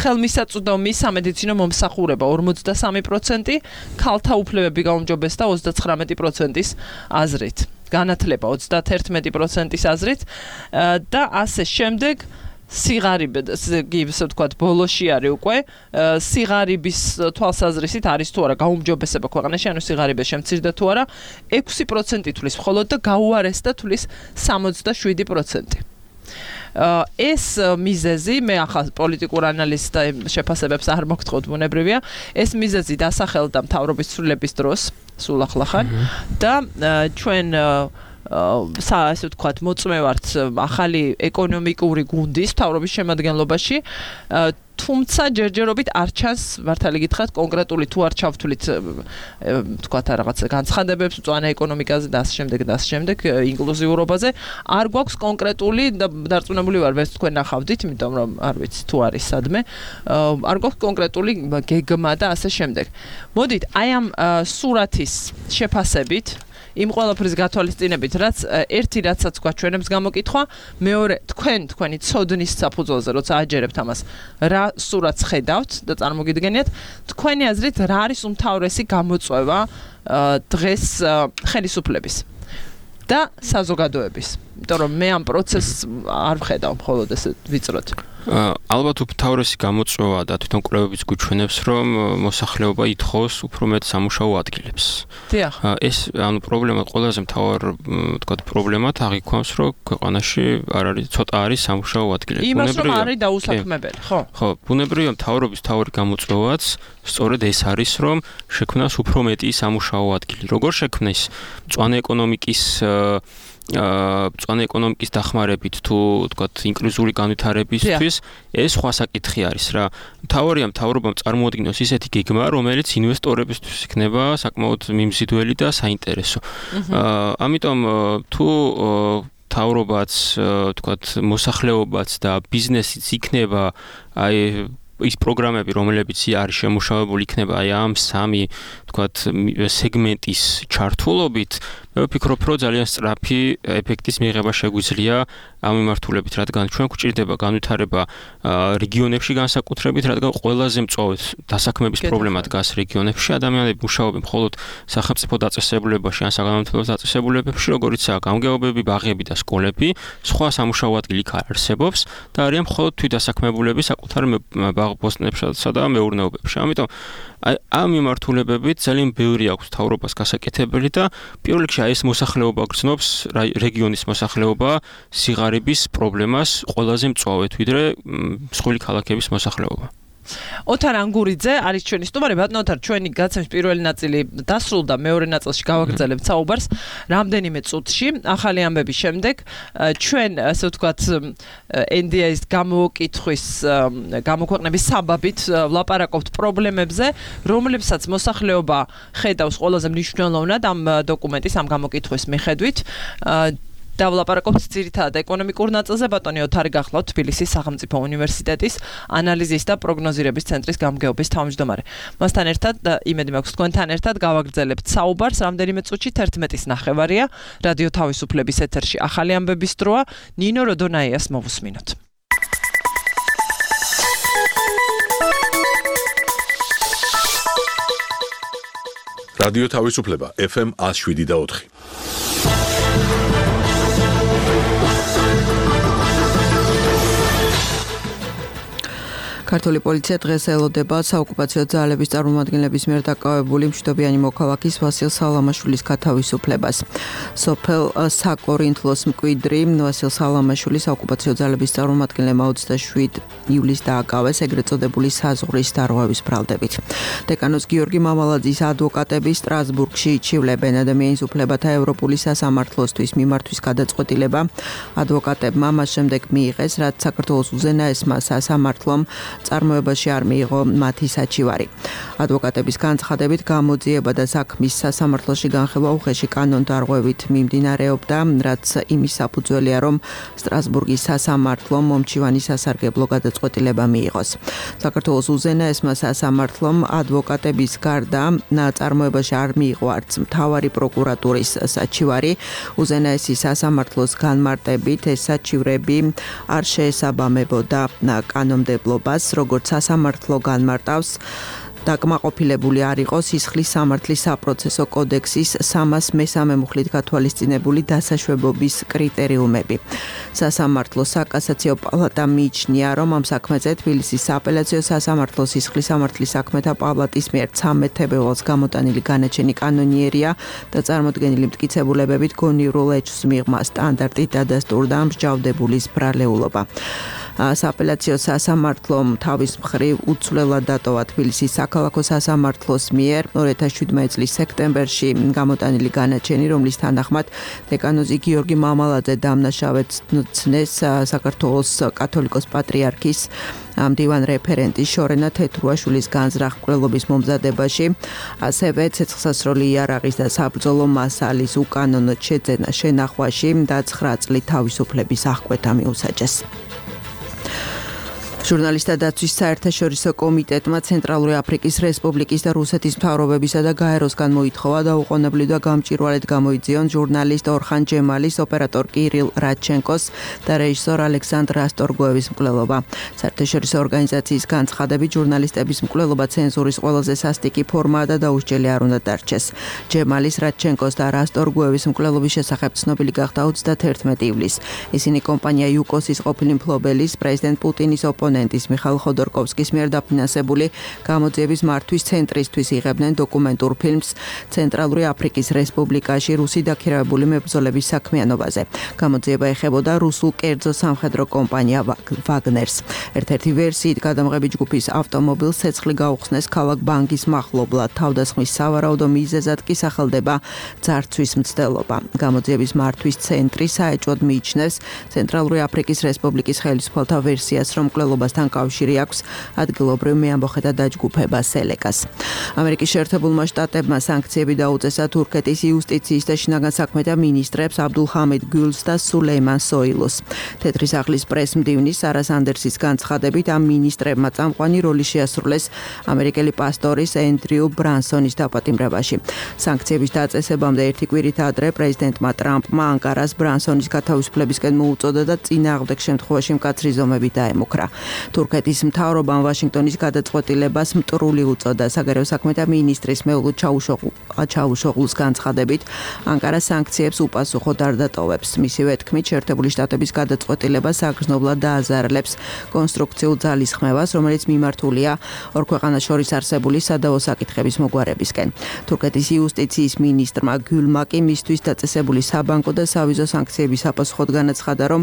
ხელმისაწვდომი სამედიცინო მომსახურება 43%, ქალთა უფლებები გაუმჯობესდა 39%-ის აზრით, განათლება 31%-ის აზრით და ასე შემდეგ სიგარები, ისე ვთქვათ, ბოლოში არის უკვე სიგარების თვალსაზრისით არის თუ არა გაუმჯობესება ქვეყანაში, ანუ სიგარების შემცირდა თუ არა 6% თulis მხოლოდ და გაუარესდა თulis 67%. ეს მიზეზი მე ახლა პოლიტიკურ ანალიზს და შეფასებებს არ მოგთხოვთ ბუნებრივია ეს მიზეზი დასახელდა მთავრობის ცვლილების დროს სულ ახლახან და ჩვენ ასე ვთქვათ მოწმევართ ახალი ეკონომიკური გუნდის მთავრობის შემადგენლობაში თუმცა ჯერჯერობით არ ჩანს მართალი გითხრათ კონკრეტული თუ არ ჩავთვლით ვთქვათ რაღაც განცხადებებს მწვანე ეკონომიკაზე და ასე შემდეგ ინკლუზიურობაზე არ გვაქვს კონკრეტული და დარწმუნებული ვარ ვერც თქვენ ნახავდით იმიტომ რომ არ ვიცი თუ არის სადმე არ გვაქვს კონკრეტული გეგმა და ასე შემდეგ მოდით აი ამ სურათის შეფასებით იმ ყველაფრის გათვალისწინებით, რაც ერთი რაცაც გვაჩვენებს გამოკითხვა, მეორე თქვენი ცოდნის საფუძველზე, როცა აჯერებთ ამას, რა სურათს ხედავთ და წარმოგიდგენიათ, თქვენი აზრით რა არის უმთავრესი გამოწვევა დღეს ხელისუფლების და საზოგადოების. იმიტომ რომ მე ამ პროცესს არ ვხედავ მხოლოდ ესე ვიწროთ. ალბათ უმთავრესი გამოწვევა და თვითონ კვლევებიც გვიჩვენებს, რომ მოსახლეობა ითხოვს უფრო მეტ სამუშაო ადგილებს. დიახ. ეს ანუ პრობლემა ყველაზე მთავარ ვთქვათ პრობლემად აღიქვამს, რომ ქვეყანაში არ არის ცოტა არის სამუშაო ადგილები. იმას რომ არის დაუსაქმებელი, ხო? ხო, ბუნებრივია მთავრობის მთავარი გამოწვევაც სწორედ ეს არის, რომ შექმნას უფრო მეტი სამუშაო ადგილი. როგორ შექმნეს მწვანე ეკონომიკის დახმარებით თუ ვთქვათ ინკლუზიური განვითარებისთვის ეს სხვა საკითხი არის რა. მთავარია მთავრობამ წარმოადგინოს ისეთი გეგმა, რომელიც ინვესტორებისთვის იქნება საკმაოდ მიმზიდველი და საინტერესო. ამიტომ თუ მთავრობაც ვთქვათ მოსახლეობაც და ბიზნესიც იქნება აი ის პროგრამები, რომლებიც არის შემუშავებული იქნება აი ამ სამი ვთქვათ სეგმენტის ჩართულობით, მე ვფიქრობ, რომ ძალიან სწრაფი ეფექტის მიღება შეგვიძლია ამ მიმართულებით, რადგან ჩვენ გვჭირდება განვითარება რეგიონებში განსაკუთრებით, რადგან ყველაზე მწვავედ დასაქმების პრობლემა დგას რეგიონებში, ადამიანები მუშაობენ მხოლოდ სახელმწიფო დაწესებულებაში ან საგანმანათლებლო დაწესებულებებში, როგორიცაა გამგეობები, ბაღები და სკოლები, სხვა სამუშაო ადგილი არ არსებობს და არიან მხოლოდ თვითდასაქმებულები საკუთარ ბაღ-ბოსტნებსა და მეურნეობებში. ამიტომ ამ მიმართულებებით ძალიან ბევრი აქვს მთავრობას გასაკეთებელი და პირველ რიგში ეს მოსახლეობა გრძნობს რეგიონის მოსახლეობა სიგარების პრობლემას ყველაზე მწვავედ ვიდრე მსხვილი ქალაქების მოსახლეობა. ოთარ ანგურიძე არის ჩვენი სტუმარი. ბატონო ოთარ, ჩვენი გადაცემის პირველი ნაწილი დასრულდა, მეორე ნაწილში გავაგრძელებთ საუბარს რამდენიმე წუთში. ახალი ამბების შემდეგ ჩვენ ასე ვთქვათ NDA-ის გამოკითხვის გამოქვეყნების საბაბით ვლაპარაკობთ პრობლემებზე, რომლებსაც მოსახლეობა ხედავს ყველაზე მნიშვნელოვნად ამ დოკუმენტის ამ გამოკითხვის მიხედვით. და ვლაპარაკობთ ძირითადად ეკონომიკურ ნაწილზე. ბატონი ოთარი გახლავთ თბილისის სახელმწიფო უნივერსიტეტის ანალიზის და პროგნოზირების ცენტრის გამგეობის თავმჯდომარე. მასთან ერთად იმედი მაქვს თქვენთან ერთად გავაგრძელებთ საუბარს რამდენიმე წუთში 11:09 რადიო თავისუფლების ეთერში ახალი ამბების დროა. ნინო როდონაიას მოვუსმინოთ. რადიო თავისუფლება FM 107.4. ქართული პოლიცია დღეს ელოდება საოკუპაციო ძალების წარმომადგენლების მიერ დაკავებული მშვიდობიანი მოქალაქის ვასილ სალამაშვილის გათავისუფლებას. სოფელ საკორინთლოს მკვიდრი ვასილ სალამაშვილი საოკუპაციო ძალების წარმომადგენლებმა 27 ივლისს დააკავეს ეგრეთ წოდებული საზღვრის დარღვევის ბრალდებით. დეკანოს გიორგი მამალაძის ადვოკატები სტრასბურგში იჩივლებენ ადამიანის უფლებათა ევროპული სასამართლოსთვის მიმართვის გადაწყვეტილება. ადვოკატებმა მას შემდეგ მიიღეს, რაც საქართველოს უზენაესმა სასამართლომ წარმოებაში არ მიიღო მათი საჩივარი. ადვოკატების განცხადებით გამოძიება და საქმის სასამართლოში განხილვა უხეში კანონდარღვევით მიმდინარეობდა, რაც იმის საფუძველია, რომ სტრასბურგის სასამართლომ მომჩივანი სასარგებლო გადაწყვეტილება მიიღოს. საქართველოს უზენაესმა სასამართლომ ადვოკატების გარდა წარმოებაში არ მიიღო არც მთავარი პროკურატურის საჩივარი. უზენაესი სასამართლოს განმარტებით ეს საჩივრები არ შეესაბამებოდა კანონმდებლობას, როგორც სასამართლო განმარტავს. დაკმაყოფილებული არ იყო სისხლის სამართლის საპროცესო კოდექსის 303 მუხლით გათვალისწინებული დასაშვებობის კრიტერიუმები. სასამართლო საკასაციო პალატა მიიჩნია, რომ ამ საქმეზე თბილისის სააპელაციო სასამართლო სისხლის სამართლის საქმეთა პალატის მიერ 13 თებერვალს გამოტანილი განაჩენი კანონიერია და წარმოდგენილი მტკიცებულებებით გონივრულ ეჭვს მიღმა სტანდარტით დადასტურდა მსჯავრდებულის ბრალეულობა. სააპელაციო სასამართლომ თავის მხრივ უცვლელად დატოვა თბილისის საქალაქო სასამართლოს მიერ 2017 წლის სექტემბერში გამოტანილი განაჩენი, რომლის თანახმად დეკანოზი გიორგი მამალაძე დამნაშავედ ცნეს საქართველოს კათოლიკოს პატრიარქის მდივან რეფერენტის შორენა თეთრუაშვილის განზრახ-მკვლელობის მომზადებაში, ასევე ცეცხლსასროლი იარაღის და საბრძოლო მასალის უკანონოდ შეძენა შენახვაში და 9 წლით თავისუფლების აღკვეთა მიუსაჯეს. ჟურნალისტთა დაცვის საერთაშორისო კომიტეტმა ცენტრალური აფრიკის რესპუბლიკის და რუსეთის მთავრობებისა და გაეროსგან მოითხოვა დაუყოვნებლივ და გამჭვირვალედ გამოიძიონ ჟურნალისტ ორხან ჯემალის, ოპერატორ კირილ რაჩენკოს და რეჟისორ ალექსანდრ რასტორგოევის მკვლელობა. საერთაშორისო ორგანიზაციის განცხადებით ჟურნალისტების მკვლელობა ცენზურის ყველაზე სასტიკი ფორმაა და დაუსჯელი არ უნდა დარჩეს. ჯემალის, რაჩენკოს და რასტორგოევის მკვლელობის შესახებ ცნობილი გახდა 31 ივლისს. ისინი კომპანია იუკოსის ყოფილი მფლობელის პრეზიდენტ პუტინის ოპონენტის მიხაილ ხოდორკოვსკის მიერ დაფინანსებული გამოძიების მართვის ცენტრისთვის იღებდნენ დოკუმენტურ ფილმს ცენტრალური აფრიკის რესპუბლიკაში რუსი დაქირავებული მებრძოლების საქმიანობაზე. გამოძიება ეხებოდა რუსულ კერძო სამხედრო კომპანია ვაგნერს. ერთ-ერთი ვერსიით გადამღები ჯგუფის ავტომობილს ცეცხლი გაუხსნეს ქალაქ ბანგის მახლობლად. თავდასხმის სავარაუდო მიზეზად კი სახელდება ძარცვის მცდელობა. გამოძიების მართვის ცენტრი საეჭვოდ მიიჩნევს ცენტრალური აფრიკის რესპუბლიკის ხელისუფალთა ვერსიას, რომ მკვლელობასთან კავშირი აქვს ადგილობრივ მეამბოხეთა დაჯგუფება სელეკას. ამერიკის შეერთებულმა შტატებმა სანქციები დაუწესა თურქეთის იუსტიციის და შინაგან საქმეთა მინისტრებს აბდულ ჰამედ გულს და სულეიმან სოილოს. თეთრი სახლის პრეს-მდივნის სარა სანდერსის განცხადებით ამ მინისტრებმა წამყვანი როლი შეასრულეს ამერიკელი პასტორის ენდრიუ ბრანსონის დაპატიმრებაში. სანქციების დაწესებამდე ერთი კვირით ადრე პრეზიდენტმა ტრამპმა ანკარას ბრანსონის გათავისუფლებისკენ მოუწოდა და წინააღმდეგ შემთხვევაში მკაცრი ზომები დაემუქრა. თურქეთის მთავრობამ ვაშინგტონის გადაწყვეტილებას მტრული უწოდა. საგარეო საქმეთა მინისტრის მეულუდ ჩავუშოღლუს განცხადებით, ანკარა სანქციებს უპასუხოდ არ დატოვებს. მისივე თქმით, შეერთებული შტატების გადაწყვეტილება საგრძნობლად დააზარალებს კონსტრუქციულ ძალისხმევას, რომელიც მიმართულია ორ ქვეყანას შორის არსებული სადავო საკითხების მოგვარებისკენ. თურქეთის იუსტიციის მინისტრმა გულმა კი მისთვის დაწესებული საბანკო და სავიზო სანქციების საპასუხოდ განაცხადა, რომ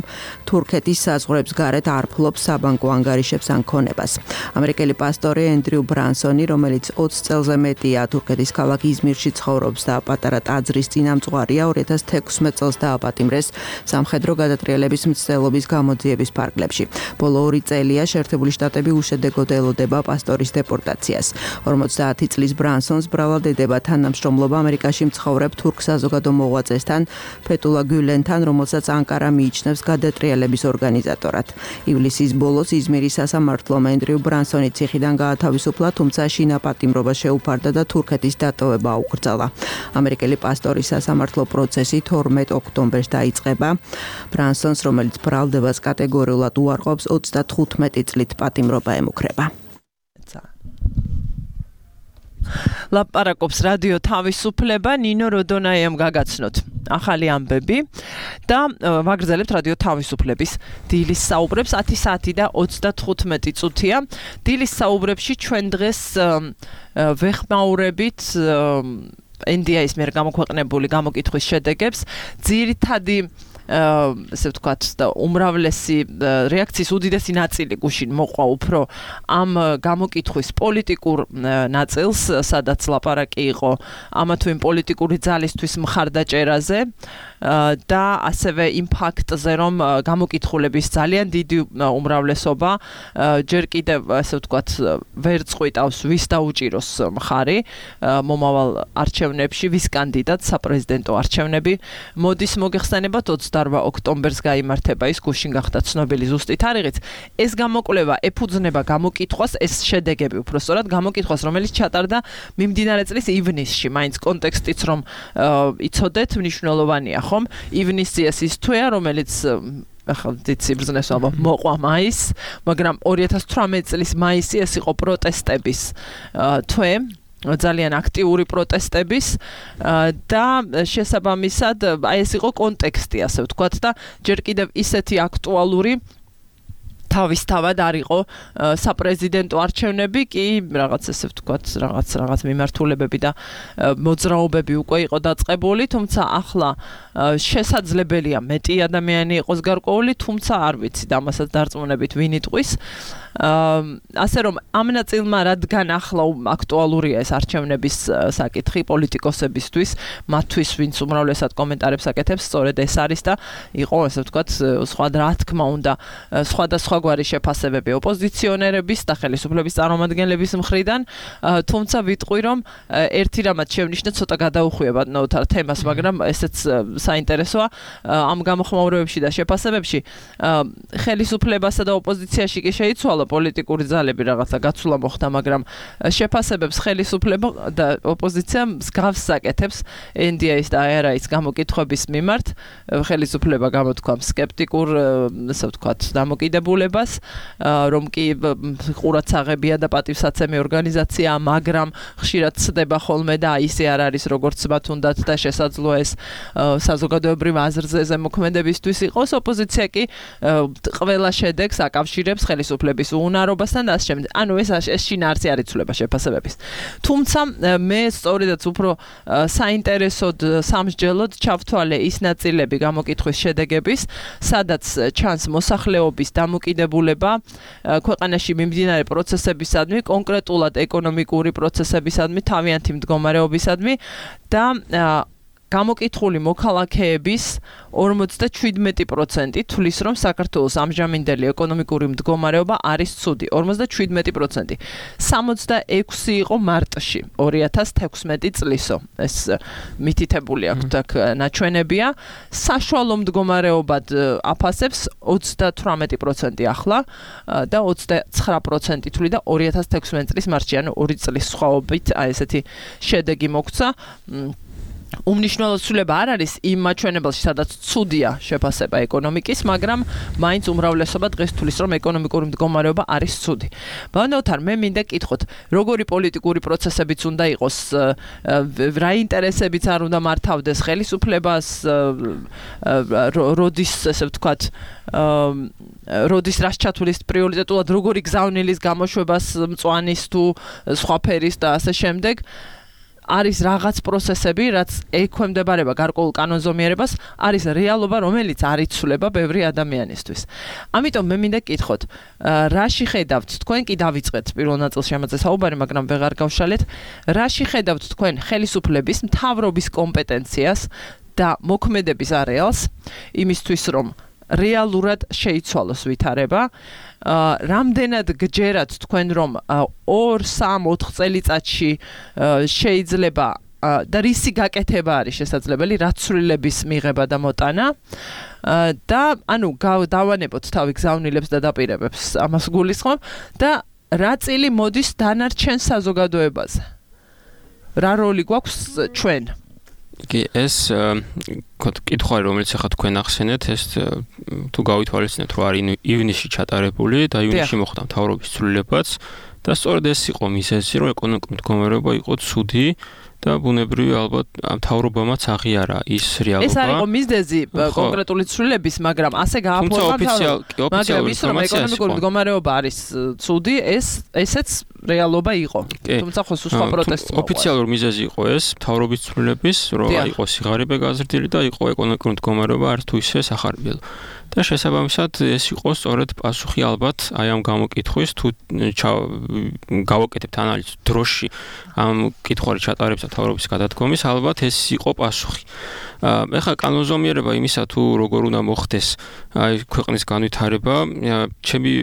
თურქეთის საზღვრებს გარეთ არ ფლობს საბანკო ან ანგარიშებს ან ქონებას. ამერიკელი პასტორი ენდრიუ ბრანსონი, რომელიც 20 წელზე მეტია თურქეთის ქალაქ იზმირში ცხოვრობს და პატარა ტაძრის წინამძღვარია, 2016 წელს დააპატიმრეს სამხედრო გადატრიალების მცდელობის გამოძიების ფარგლებში. ბოლო 2 წელია შეერთებული შტატები უშედეგოდ ელოდება პასტორის დეპორტაციას. 50 წლის ბრანსონს ბრალად ედება თანამშრომლობა ამერიკაში მცხოვრებ თურქ საზოგადო მოღვაწესთან ფეთულა გულენთან, რომელსაც ანკარა მიიჩნევს გადატრიალების ორგანიზატორად. ივლისის ბოლოს იზმირის სასამართლომ ენდრიუ ბრანსონი ციხიდან გაათავისუფლა, თუმცა შინაპატიმრობა შეუფარდა და თურქეთის დატოვება აუკრძალა. ამერიკელი პასტორის სასამართლო პროცესი 12 ოქტომბერს დაიწყება. ბრანსონს, რომელიც ბრალდებას კატეგორიულად უარყოფს, 35 წლით პატიმრობა ემუქრება. ლაპარაკობს რადიო თავისუფლება, ნინო როდონაიამ გაგაცნოთ ახალი ამბები და ვაგრძელებთ რადიო თავისუფლების დილის საუბრებს. 10 საათი და 35 წუთია. დილის საუბრებში ჩვენ დღეს ვეხმაურებით NDI-ის მიერ გამოქვეყნებული გამოკითხვის შედეგებს. ძირითადი ესე ვთქვათ და უმრავლესი რეაქციის უდიდესი ნაწილი გუშინ მოყვა უფრო ამ გამოკითხვის პოლიტიკურ ნაწილს, სადაც ლაპარაკი იყო ამა თუ იმ პოლიტიკური ძალისთვის მხარდაჭერაზე და ასევე იმ ფაქტზე, რომ გამოკითხულების ძალიან დიდი უმრავლესობა ჯერ კიდევ ესე ვთქვათ ვერ წყვიტავს ვის დაუჭიროს მხარი მომავალ არჩევნებში, ვის კანდიდატს საპრეზიდენტო არჩევნები მოდის მოგეხსენებათ 28 ოქტომბერს გაიმართება ის გუშინ გახდა ცნობილი ზუსტი თარიღიც. ეს გამოკვლევა ეფუძნება გამოკითხვას, ეს შედეგები უფრო სწორად გამოკითხვას, რომელიც ჩატარდა მიმდინარე წლის ივნისში. მაინც კონტექსტიც რომ იცოდეთ, მნიშვნელოვანია, ხომ? ივნისი ეს ის თვეა, რომელიც ახლა ციფრზნეს ალბათ მოყვა მაისს, მაგრამ 2018 წლის მაისი ეს იყო პროტესტების თვე. ძალიან აქტიური პროტესტების და შესაბამისად აი ეს იყო კონტექსტი, ასე ვთქვათ და ჯერ კიდევ ისეთი აქტუალური თავისთავად არ იყო საპრეზიდენტო არჩევნები, კი რაღაც ესე ვთქვათ, რაღაც მიმართულებები და მოძრაობები უკვე იყო დაწყებული, თუმცა ახლა შესაძლებელია მეტი ადამიანი იყოს გარკვეული, თუმცა არ ვიცი და ამასაც დარწმუნებით ვინ იტყვის. ასე რომ ამ ნაწილმა რადგან ახლა აქტუალურია ეს არჩევნების საკითხი პოლიტიკოსებისთვის, მათთვის ვინც უმრავლესად კომენტარებს აკეთებს, სწორედ ეს არის და იყო ასე ვთქვათ, სხვა რა თქმა უნდა, სხვადასხვაგვარი შეფასებები ოპოზიციონერების და ხელისუფლების წარმომადგენლების მხრიდან, თუმცა ვიტყვი რომ ერთი რამაც შევნიშნე ცოტა გადაუხვია თემას, მაგრამ ესეც საინტერესოა ამ გამოხმაურებებში და შეფასებებში ხელისუფლებასა და ოპოზიციაში კი შეიცვალა პოლიტიკური ძალები რაღაცა გაცვლა მოხდა, მაგრამ შეფასებებს ხელისუფლება და ოპოზიცია მსგავს საკეთებს NDI-ის და ARI-ის გამოკითხვების მიმართ. ხელისუფლება გამოთქვა სკეპტიკურ, ასე ვთქვათ, დამოკიდებულებას, რომ კი ყურადსაღებია და პატივსაცემი ორგანიზაცია, მაგრამ ხშირად ცდება ხოლმე და ისე არ არის, როგორც მათ უნდათ და შესაძლოა ეს საზოგადოებრივ აზრზე ზემოქმედებისთვის იყოს. ოპოზიცია კი ყველა შედეგს აკავშირებს ხელისუფლების უნარობასთან და ასე შემდეგ. ანუ ეს შინაარსი არ იცვლება შეფასებების. თუმცა მე სწორედაც უფრო საინტერესოდ სამსჯელოდ ჩავთვალე ის ნაწილები გამოკითხვის შედეგების, სადაც ჩანს მოსახლეობის დამოკიდებულება ქვეყანაში მიმდინარე პროცესებისადმი, კონკრეტულად ეკონომიკური პროცესებისადმი, თავიანთი მდგომარეობისადმი და გამოკითხული მოქალაქეების 57% თვლის, რომ საქართველოს ამჟამინდელი ეკონომიკური მდგომარეობა არის ცუდი. 57%. 66 იყო მარტში 2016 წლისო. ეს მითითებული აქვს ნაჩვენებია. საშუალო მდგომარეობად აფასებს 38% ახლა და 29% თვლი და 2016 წლის მარტში, ანუ 2 წლის სხვაობით აი ესეთი შედეგი მოგვცა. უმნიშვნელო ცვლილება არ არის იმ მაჩვენებელში, სადაც ცუდია შეფასება ეკონომიკის, მაგრამ მაინც უმრავლესობა დღეს თulis, რომ ეკონომიკური მდგომარეობა არის ცუდი. ბანოთარ, მე მინდა კითხოთ, როგორი პოლიტიკური პროცესებიც უნდა იყოს, რა ინტერესებიც არ უნდა მართავდეს ხელისუფლებას, როდის, ესე ვთქვათ, როდის რას ჩათვლის პრიორიტეტულად, როგორი გზავნილის გამოშვებას მწვანის თუ სხვა ფერის და ასე შემდეგ. არის რაღაც პროცესები, რაც ექვემდებარება გარკვეულ კანონზომიერებას, არის რეალობა, რომელიც არ იცვლება ბევრი ადამიანისთვის. ამიტომ მე მინდა გკითხოთ, რაში ხედავთ თქვენ კი დავიწყეთ პირველ ნაწილში ამაზე საუბარი, მაგრამ ვეღარ გავშალეთ, რაში ხედავთ თქვენ ხელისუფლების მთავრობის კომპეტენციას და მოქმედების არეალს იმისთვის, რომ რეალურად შეიცვალოს ვითარება, რამდენად გჯერათ თქვენ, რომ 2-3-4 წელიწადში შეიძლება და რისი გაკეთება არის შესაძლებელი, რაცვლილების მიღება და მოტანა და ანუ დავანებოთ თავი გზავნილებს და დაპირებებს ამას გულისხმობ და რა წილი მოდის დანარჩენ საზოგადოებაზე. რა როლი გვაქვს ჩვენ? კი, ეს კითხვა რომელიც ახლა თქვენ ახსენეთ, ეს თუ გავითვალისწინებთ, რომ არის ივნისში ჩატარებული და ივნისში მოხდა მთავრობის ცვლილებაც და სწორედ ეს იყო მიზეზი, რომ ეკონომიკური მდგომარეობა იყო ცუდი და ბუნებრივი ალბათ მთავრობამაც აღიარა ის რეალობა. ეს არის მიზეზი კონკრეტული ცვლილების, მაგრამ ასე გააფორმა მაგრამ ის რომ ეკონომიკური მდგომარეობა არის ცუდი, ესეც რეალობა იყო. თუმცა ხო სხვა პროტესტი მოყვა. ოფიციალური მიზეზი იყო ეს მთავრობის ცვლილების, რომ იყო სიღარიბე გაზრდილი და იყო ეკონომიკური მდგომარეობა არც თუ ისე სახარბიელო. და შესაბამისად ეს იყო სწორედ პასუხი ალბათ აი ამ გამოკითხვის თუ გავაკეთებთ ანალიზს დროში ამ კითხვარი ჩატარებს და მთავრობის გადადგომის ალბათ ეს იყო პასუხი. ეხლა კანონზომიერება იმისა თუ როგორ უნდა მოხდეს აი ქვეყნის განვითარება, ჩემი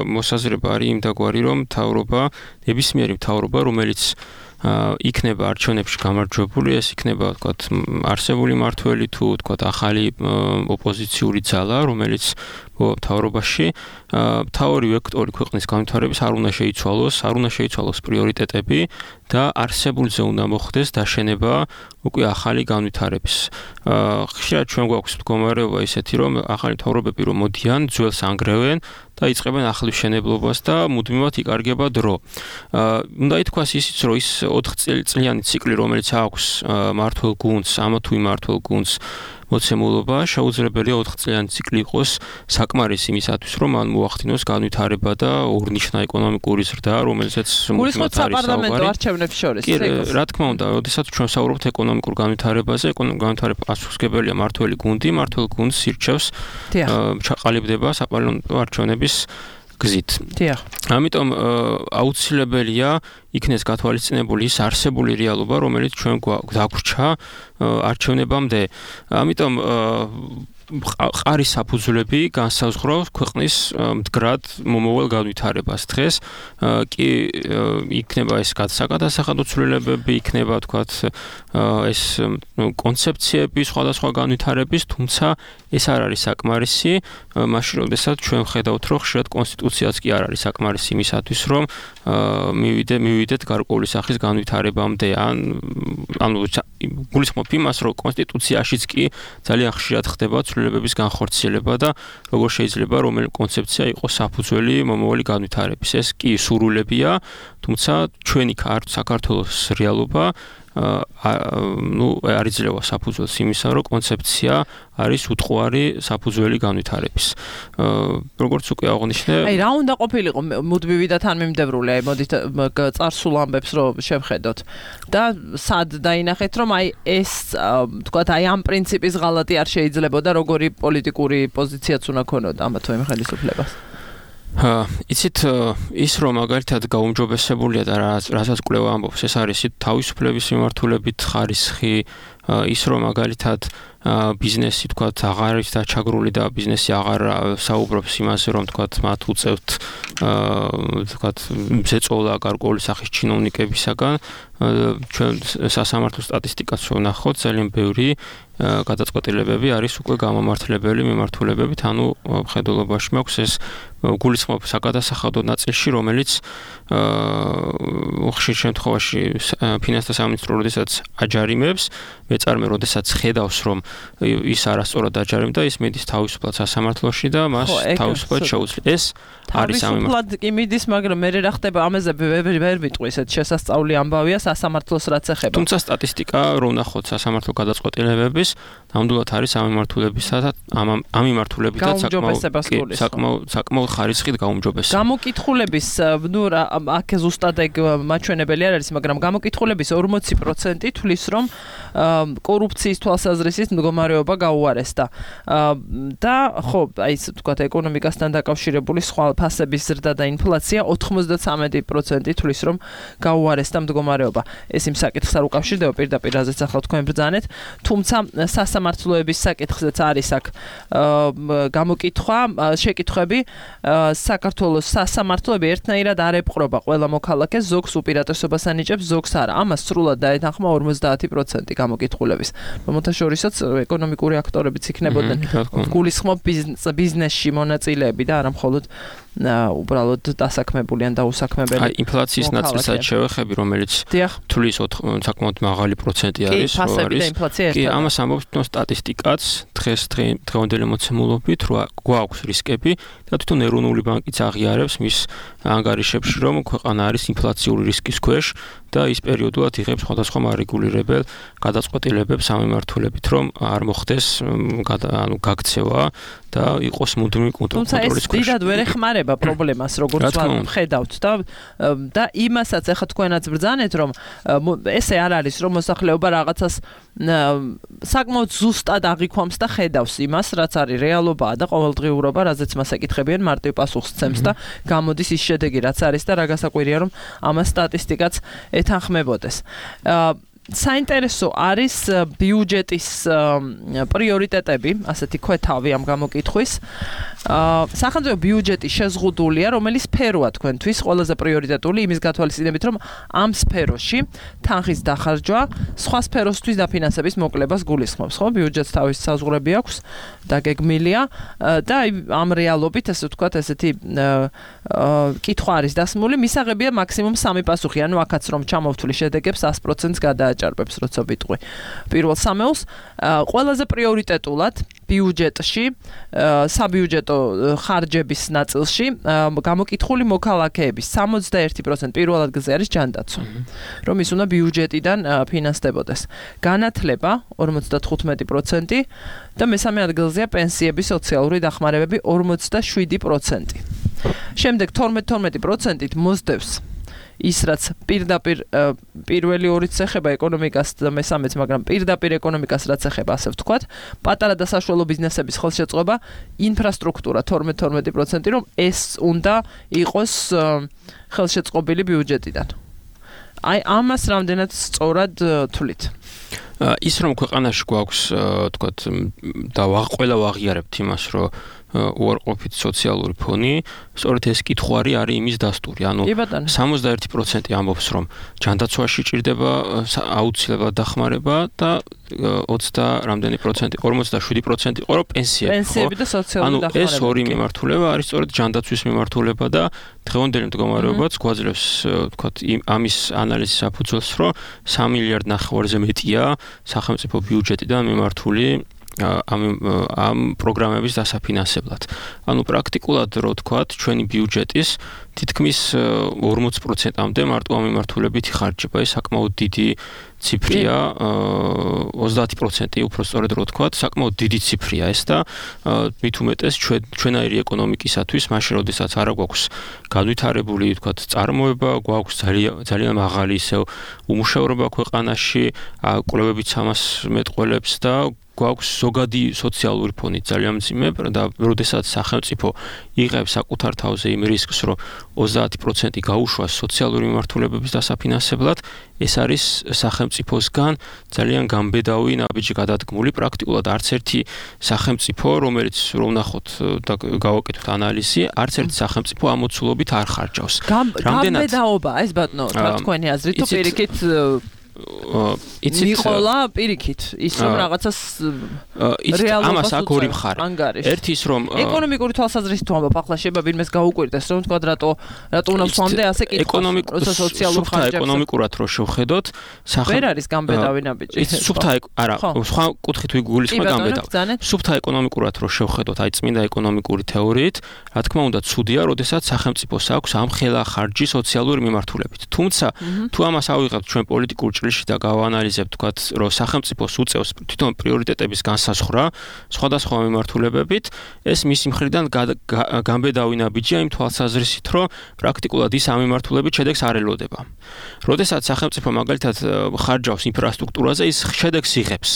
მოსაზრება არის იმდაგვარი, რომ მთავრობა, ნებისმიერი მთავრობა, რომელიც იქნება არჩევნებში გამარჯვებული, ეს იქნება ვთქვათ არსებული მართველი თუ ვთქვათ ახალი ოპოზიციური ძალა, რომელიც მთავრობაში მთავარი ვექტორი ქვეყნის განვითარების არ უნდა შეიცვალოს პრიორიტეტები და არსებულზე უნდა მოხდეს დაშენება უკვე ახალი განვითარების. ხშირად ჩვენ გვაქვს მდგომარეობა ისეთი, რომ ახალი მთავრობები რომ მოდიან, ძველს ანგრევენ და იწყებენ ახალ მშენებლობას და მუდმივად იკარგება დრო. უნდა ითქვას ისიც, რომ ის 4 წლიანი ციკლი, რომელიც აქვს მმართველ გუნდს, ამა თუ იმ მმართველ გუნდს მოცემულობა, შეუძლებელია 4 წლიანი ციკლი იყოს საკმარისი იმისათვის, რომ მან მოახდინოს განვითარება და ორნიშნა ეკონომიკური ზრდა, რომელზეც მუდმივად არის საპარლამენტო არჩევნებს შორის. კი, რა თქმა უნდა, როდესაც ჩვენ საუბრობთ ეკონომიკურ განვითარებაზე, ეკონომიკური განვითარება პასუხისმგებელია მმართველი გუნდი, მმართველ გუნდს ირჩევს, ჩაყალიბდება საპარლამენტო არჩევნების გზით. ამიტომ აუცილებელია იქნეს გათვალისწინებული ის არსებული რეალობა, რომელიც ჩვენ გვდაგვრჩა არჩევნებამდე. ამიტომ ყარის საფუძვლები განსაზღვრავს ქვეყნის მდგრად მომავალ განვითარებას. დღეს კი იქნება ეს საკადასახადო ცვლილებები, იქნება თქვათ ეს კონცეფციები სხვადასხვა განვითარების, თუმცა ეს არ არის საკმარისი, მაშინ როდესაც ჩვენ ხედავთ, რომ ხშირად კონსტიტუციაც კი არ არის საკმარისი იმისათვის, რომ მივიდეთ გარკვეული სახის განვითარებამდე, ანუ გულისხმობ იმას, რომ კონსტიტუციაშიც კი ძალიან ხშირად ხდება ცვლილებების განხორციელება და როგორ შეიძლება რომელი კონცეფცია იყოს საფუძველი მომავალი განვითარების. ეს კი სურვილებია, თუმცა ჩვენი საქართველოს რეალობა არ იძლევა საფუძველს იმისა, რომ კონცეფცია არის უტყუარი საფუძველი განვითარების. როგორც უკვე აღნიშნე, აი რა უნდა ყოფილიყო მუდმივი და თანმიმდევრული, აი მოდით წარსულ ამბებს რომ შევხედოთ და სად დაინახეთ, რომ აი ეს თქვათ აი ამ პრინციპის ღალატი არ შეიძლებოდა, როგორი პოლიტიკური პოზიციაც უნდა ქონოდა ამა თუ იმ ხელისუფლებას. იცით ის რომ მაგალითად გაუმჯობესებულია და რასაც კვლევა ამბობს, ეს არის თავისუფლების მიმართულებით ხარისხი, ის რომ მაგალითად ბიზნესი თქვათ აღარ არის დაჩაგრული და ბიზნესი აღარ საუბრობს იმაზე, რომ თქვათ მათ უწევთ თქვათ ზეწოლა გარკვეული სახის ჩინოვნიკებისაგან. ჩვენ სასამართლო სტატისტიკას ვნახოთ, ძალიან ბევრი გადაწყვეტილებები არის უკვე გამომართლებელი მიმართულებებით, ანუ მხედველობაში მაქვს ეს გულისხმობ საკადასახადო ნაწილში, რომელიც ხშირ შემთხვევაში ფინანსთა სამინისტრო როდესაც აჯარიმებს, მეწარმე როდესაც ხედავს რომ ის არასწორად დაჯარიმდა ის მიდის თავისუფლად სასამართლოში და მას თავისუფლად შეუძლია ეს არის თავისუფლად კი მიდის მაგრამ მე რა ხდება ამაზე ვერ ვიტყვი ესეთ შესასწავლი ამბავია სასამართლოს რაც ეხება თუმცა სტატისტიკა რო ვნახოთ სასამართლო გადაწყვეტილებების ნამდვილად არის ამ მიმართულებითაც საკმაოდ ხარისხით გაუმჯობესება გამოკითხულების აქ ზუსტად ეგ მაჩვენებელი არ არის მაგრამ გამოკითხულების 40% თვლის რომ კორუფციის თვალსაზრისით მდგომარეობა გაუარესდა და ხო აი ესე ვთქვათ ეკონომიკასთან დაკავშირებული სხვა ფასების ზრდა და ინფლაცია 93% თვლის რომ გაუარესდა მდგომარეობა ეს იმ საკითხს არ უკავშირდება პირდაპირ რაზეც ახლა თქვენ ბრძანეთ თუმცა სასამართლოების საკითხზეც არის აქ გამოკითხვა შეკითხვები საქართველოს სასამართლოები ერთნაირად არ ეპყრობა ყველა მოქალაქეს ზოგს უპირატესობას ანიჭებს ზოგს არა ამას სრულად დაეთანხმა 50% გამოკითხულების რომელთაშორისაც ეკონომიკური აქტორებიც იქნებოდნენ გულისხმობ ბიზნესში მონაწილეები და არა მხოლოდ უბრალოდ დასაქმებული ან დაუსაქმებელი. აი ინფლაციის ნაწილსაც შევეხები, რომელიც თulis საკმაოდ მაღალი პროცენტი არის, რო არის. კი, ამას ამბობს სტატისტიკაც დღევანდელი მოცემულობით, რომ გვაქვს რისკები და თვითონ ეროვნული ბანკიც აღიარებს მის ანგარიშებში, რომ ქვეყანა არის ინფლაციური რისკის ქვეშ და ის პერიოდულად იღებს სხვადასხვა მარეგულირებელ გადაწყვეტილებებს სამმართველობით, რომ არ მოხდეს გაქცევა და იყოს მუდმივი კონტროლის ქვეშ. თუმცა ეს დიდად ვერ ეხმარება პრობლემას, როგორც ვხედავთ და იმასაც ახლა თქვენაც ბრძანეთ, რომ ესე არ არის, რომ მოსახლეობა რაღაცას საკმაოდ ზუსტად აღიქვამს და ხედავს იმას, რაც არის რეალობაა და ყოველდღიურობა, რაზეც მას ეკითხებიან, მარტივ პასუხს ცემს და გამოდის ის შედეგი, რაც არის და რა გასაკვირია, რომ ამას სტატისტიკაც ეთანხმებოდეს. საინტერესო არის ბიუჯეტის პრიორიტეტები, ასეთი ქვეთავი ამ გამოკითხვის. სახელმწიფო ბიუჯეტი შეზღუდულია, რომელიც სფეროა თქვენთვის ყველაზე პრიორიტეტული იმის გათვალისწინებით, რომ ამ სფეროში თანხის დახარჯვა სხვა სფეროსთვის დაფინანსების მოკლებას გულისხმობს, ხო? ბიუჯეტს თავისი საზღვრები აქვს და გეგმილია და ამ რეალობით, ასე ვთქვათ, ესეთი კითხვა არის დასმული, მისაღებია მაქსიმუმ 3 პასუხი, ანუ აქაც რომ ჩამოვთვლი შედეგებს 100%-ს გადააჭარბებს, როცა ვიტყვი. პირველ სამეულს ყველაზე პრიორიტეტულად ბიუჯეტში, საბიუჯეტო ხარჯების ნაწილში გამოკითხული მოქალაქეების 61% პირველ ადგილზე არის ჯანდაცვა, რომ ის უნდა ბიუჯეტიდან ფინანსდებოდეს. განათლება 55% და მესამე ადგილზეა პენსიები, სოციალური დახმარებები 47%. შემდეგ 12% მოსდევს ის რაც პირდაპირ პირველი ორიც ეხება ეკონომიკას და მესამეც, მაგრამ პირდაპირ ეკონომიკას რაც ეხება, ასე ვთქვათ, პატარა და საშუალო ბიზნესების ხელშეწყობა, ინფრასტრუქტურა 12%, რომ ეს უნდა იყოს ხელშეწყობილი ბიუჯეტიდან. აი ამას რამდენად სწორად თვლით? ის რომ ქვეყანაში გვაქვს, ვთქვათ, და ყველა ვაღიარებთ იმას, რომ უარყოფით სოციალური ფონი, სწორედ ეს კითხვარი არის იმის დასტური. ანუ 61% ამბობს, რომ ჯანდაცვაში ჭირდება აუცილებლად დახმარება და 47% იყო, რომ პენსიები და სოციალური დახმარება. ანუ ეს ორი მიმართულება არის სწორედ ჯანდაცვის მიმართულება და დღევანდელი მდგომარეობაც გვაძლევს, ვთქვათ, ამის ანალიზის საფუძველს, რომ 3 მილიარდ ნახევარზე მეტია სახელმწიფო ბიუჯეტიდან მიმართული ამ პროგრამების დასაფინანსებლად. ანუ პრაქტიკულად რო ვთქვათ, ჩვენი ბიუჯეტის თითქმის 40%-მდე მარტო ამ მიმართულებით იხარჯება. ეს საკმაოდ დიდი ციფრია, 30% უფრო სწორედ რო ვთქვათ, საკმაოდ დიდი ციფრია ეს და მით უმეტეს ჩვენაირი ეკონომიკისათვის, მაშინ როდესაც არ გვაქვს განვითარებული, ვთქვათ, წარმოება, გვაქვს ძალიან მაღალი ისევ უმუშევრობა ქვეყანაში, კვლევებიც ამას მეტყველებს და გვაქვს ზოგადი სოციალური ფონი ძალიან მძიმე და როდესაც სახელმწიფო იღებს საკუთარ თავზე იმ რისკს, რომ 30% გაუშვას სოციალური მიმართულებების დასაფინანსებლად, ეს არის სახელმწიფოსგან ძალიან გამბედავი ნაბიჯი გადადგმული. პრაქტიკულად არც ერთი სახელმწიფო, რომელიც რომ ვნახოთ და გავაკეთოთ ანალიზი, არც ერთი სახელმწიფო ამოცულობით არ ხარჯავს. გამბედაობა, ეს ბატონო, თქვენი აზრით თუ პირიქით მიყოლა პირიქით ის რომ რაღაცას რეალობას ამას აქ ორი მხარე. ერთი ის რომ ეკონომიკური თვალსაზრისით თუ ამბობ ახლა შეიძლება ვინმეს გაუკვირდეს რომ თქვა რატო უნდა ვსვამდე ასე კითხავს როცა სოციალურ ხარჯებს ეკონომიკურად რო შევხედოთ ვერ არის გამბედავი ნაბიჯი სუფთა არა სხვა კუთხით ვიგულისხმე გამბედავი სუფთა ეკონომიკურად რო შევხედოთ აი წმინდა ეკონომიკური თეორიით რა თქმა უნდა ცუდია როდესაც სახელმწიფოს აქვს ამ ხელა ხარჯი სოციალური მიმართულებით თუმცა თუ ამას ავიღებთ ჩვენ პოლიტიკურ ჭრილში და გავანალიზებთ თქვათ რომ სახელმწიფოს უწევს თვითონ პრიორიტეტების განსაზღვრა სხვადასხვა მიმართულებებით ეს მისი მხრიდან გამბედავი ნაბიჯია იმ თვალსაზრისით რომ პრაქტიკულად ის ამ მიმართულებით შედეგს არ ელოდება. როდესაც სახელმწიფო მაგალითად ხარჯავს ინფრასტრუქტურაზე ის შედეგს იღებს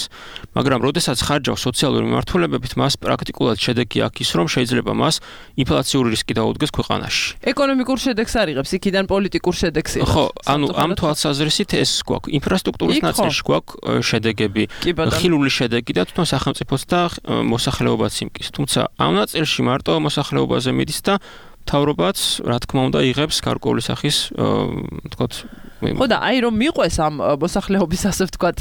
მაგრამ როდესაც ხარჯავს სოციალური მიმართულებებით მას პრაქტიკულად შედეგი აქვს ის რომ შეიძლება მას ინფლაციური რისკი დაუდგეს ქვეყანაში. ეკონომიკურ შედეგს არ იღებს იქიდან პოლიტიკურ შედეგს იღებს. ხო ანუ ამ თვალსაზრისით ეს გვაქვს ინფრასტრუქტურის ნაწილში გვაქვს შედეგები ხილული შედეგი და თვითონ სახელმწიფოს და მოსახლეობაც იმკის თუმცა ამ ნაწილში მარტო მოსახლეობაზე მიდის და მთავრობაც რა თქმა უნდა იღებს გარკვეული სახის თქოთ ხო და აი რომ მიყვეს ამ მოსახლეობის ასე ვთქვათ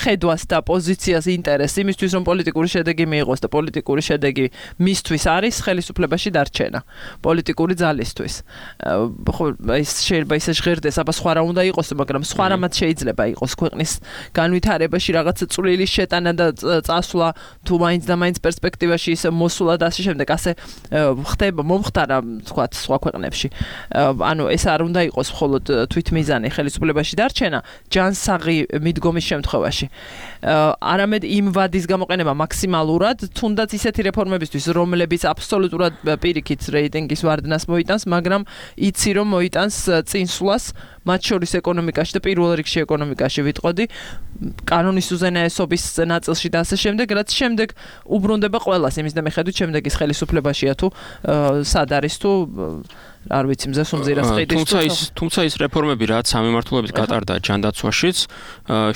ხედვას და პოზიციას ინტერესი იმისთვის რომ პოლიტიკური შედეგი მიიღოს და პოლიტიკური შედეგი მისთვის არის ხელისუფლებაში დარჩენა პოლიტიკური ძალისთვის ხო ის შეიძლება ისე ჟღერდეს აბა სხვა რა უნდა იყოს მაგრამ სხვა რამაც შეიძლება იყოს ქვეყნის განვითარებაში რაღაცა წვლილი შეტანა და წასვლა თუ მაინც და მაინც პერსპექტივაში ისე მოსულა და ასე შემდეგ ასე ხდება მომხდარა ვთქვათ სხვა ქვეყნებში ანუ ეს არ უნდა იყოს მხოლოდ მიზანი ხელისუფლებაში დარჩენა ჯანსაღი მიდგომის შემთხვევაში. არამედ იმ ვადის გამოყენება მაქსიმალურად, თუნდაც ისეთი რეფორმებისთვის, რომლებიც აბსოლუტურად პირიქით რეიტინგის ვარდნას მოიტანს, მაგრამ იცი რომ მოიტანს წინსვლას მათ შორის ეკონომიკაში და პირველ რიგში ეკონომიკაში ვიტყოდი კანონის უზენაესობის ნაწილში და ასე შემდეგ, რაც შემდეგ უბრუნდება ყველას იმის და მიხედვით შემდეგის ხელისუფლებაშია თუ სად არის თუ არ ვიცი მზეს უმძირას ყიდის თუმცა ის რეფორმები რაც სამიმართულებით გატარდა ჯანდაცვაშიც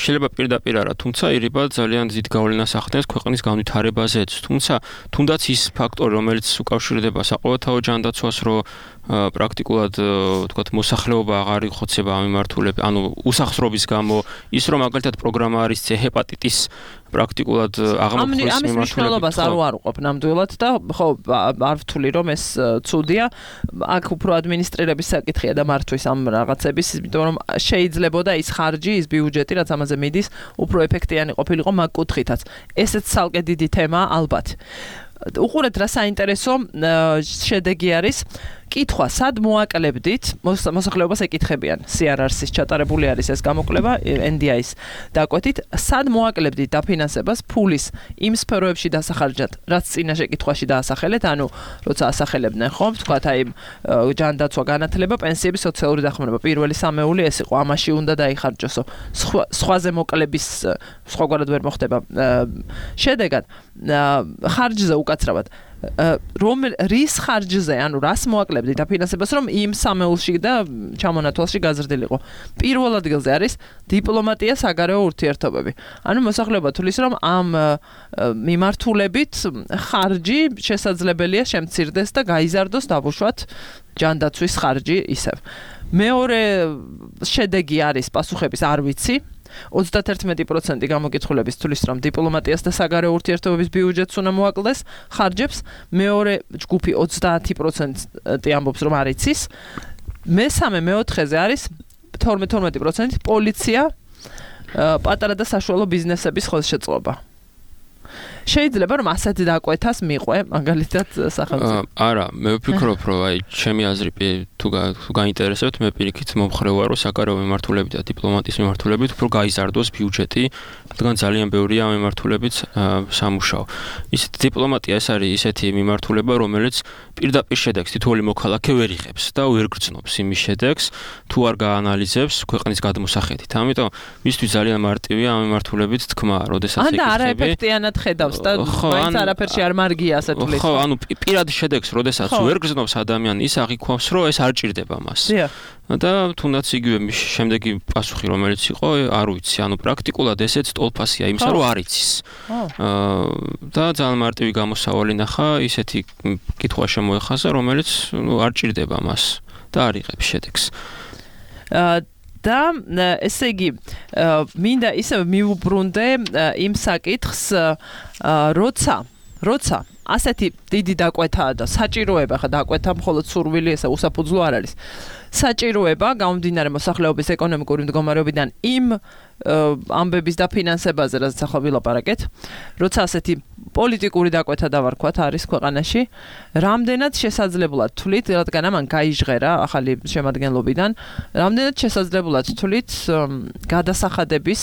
შეიძლება პირდაპირ არა თუმცა ირიბად ძალიან დიდ გავლენას ახდენს ქვეყნის განვითარებაზეც თუმცა თუნდაც ის ფაქტორი რომელიც უკავშირდება საყოველთაო ჯანდაცვას რომ პრაქტიკულად თქვათ მოსახლეობა აღარ იხოცება ამ მიმართულებით ანუ უსახსრობის გამო ის რომ მაგალითად პროგრამა არის ჰეპატიტის პრაქტიკულად აღმოფხვის ამის მნიშვნელობას არ უარყოფ ნამდვილად და ხო არ ვთვლი რომ ეს ცუდია აქ უფრო ადმინისტრირების საკითხია და მართვის ამ რაღაცების იმიტომ რომ შეიძლებოდა ის ხარჯი ის ბიუჯეტი რაც ამაზე მიდის უფრო ეფექტიანი ყოფილიყო მაგ კუთხითაც ესეც ცალკე დიდი თემაა ალბათ უყურეთ რა საინტერესო შედეგი არის კითხვა სად მოაკლებდით მოსახლეობას ეკითხებიან CRRC-ის ჩატარებული არის ეს გამოკვლევა NDI-ის დაკვეთით სად მოაკლებდით დაფინანსებას ფულის იმ სფეროებში დასახარჯად რაც წინა შეკითხვაში დაასახელეთ ანუ როცა ასახელებდნენ ხომ თქვათ აი ჯანდაცვა განათლება პენსიები სოციალური დახმარება პირველი სამეული ეს იყო ამაში უნდა დაიხარჯოსო სხვაზე მოკლების სხვაგვარად ვერ მოხდება შედეგად ხარჯზე უკაცრავად რის ხარჯზე, ანუ რას მოაკლებდით დაფინანსებას, რომ იმ სამეულში და ჩამონათვალში გაზრდილიყო. პირველ ადგილზე არის დიპლომატია, საგარეო ურთიერთობები. ანუ მოსახლეობა თulis რომ ამ მიმართულებით ხარჯი შესაძლებელია შემცირდეს და გაიზარდოს დავუშვათ ჯანდაცვის ხარჯი ისევ. მეორე შედეგი არის პასუხების არ ვიცი 31% გამოკითხულების თulis რომ დიპლომატიას და საგარეო ურთიერთობების ბიუჯეტს უნდა მოაკლდეს ხარჯებს მეორე ჯგუფი 30% ამბობს რომ არ იცის მესამე მეოთხეზე არის 12% პოლიცია პატარა და საშუალო ბიზნესების ხელშეწყობა შეიძლება რომ ასეთ დაკვეთას მიყვე მაგალითად სახელმწიფო არა მე ვფიქრობ რომ აი ჩემი აზრი თუ გაინტერესებთ მე პირიქით მომხრე ვარ რომ საგარეო მიმართულებით და დიპლომატიის მიმართულებით უფრო გაიზარდოს ბიუჯეტი რადგან ძალიან ბევრია ამ მიმართულებით სამუშაო ისეთ დიპლომატია ეს არის ისეთი მიმართულება რომელიც პირდაპირ შედეგს თითოეული მოქალაქე ვერ იღებს და ვერ გრძნობს იმის შედეგს თუ არ გაანალიზებს ქვეყნის გადმოსახედით ამიტომ მისთვის ძალიან მარტივია ამ მიმართულებით თქმა როდესაც ეკითხები არა ეფექტიანად ხედავს და მაინც არაფერში არ მარგია ასე თulis ხო ანუ პირად შედეგს როდესაც ვერ გრძნობს ადამიანი ის აღიქვამს რომ ეს არ ჭირდება მას და თუნდაც იგივე შემდეგი პასუხი რომელიც იყო არ ვიცი ანუ პრაქტიკულად ესეც ტოლფასია იმისა რომ არ იცის და ძალიან მარტივი გამოსავალი ნახა ისეთი კითხვა შემოეხაზა რომელიც არ ჭირდება მას და არ იღებს შედეგს და ესე იგი მინდა ისევ მიუბრუნდე იმ საკითხს როცა ასეთი დიდი დაკვეთაა და საჭიროება ხა დაკვეთა მხოლოდ სურვილი ესა უსაფუძვლო არ არის საჭიროება გამომდინარე მოსახლეობის ეკონომიკური მდგომარეობიდან იმ ამბების დაფინანსებაზე რაც ახლა ვილაპარაკეთ როცა ასეთი პოლიტიკური დაკვეთა დავარქვათ არის ქვეყანაში რამდენად შესაძლებლად თვლით რადგან ამან გაიჟღერა ახალი შემადგენლობიდან რამდენად შესაძლებლად თვლით გადასახადების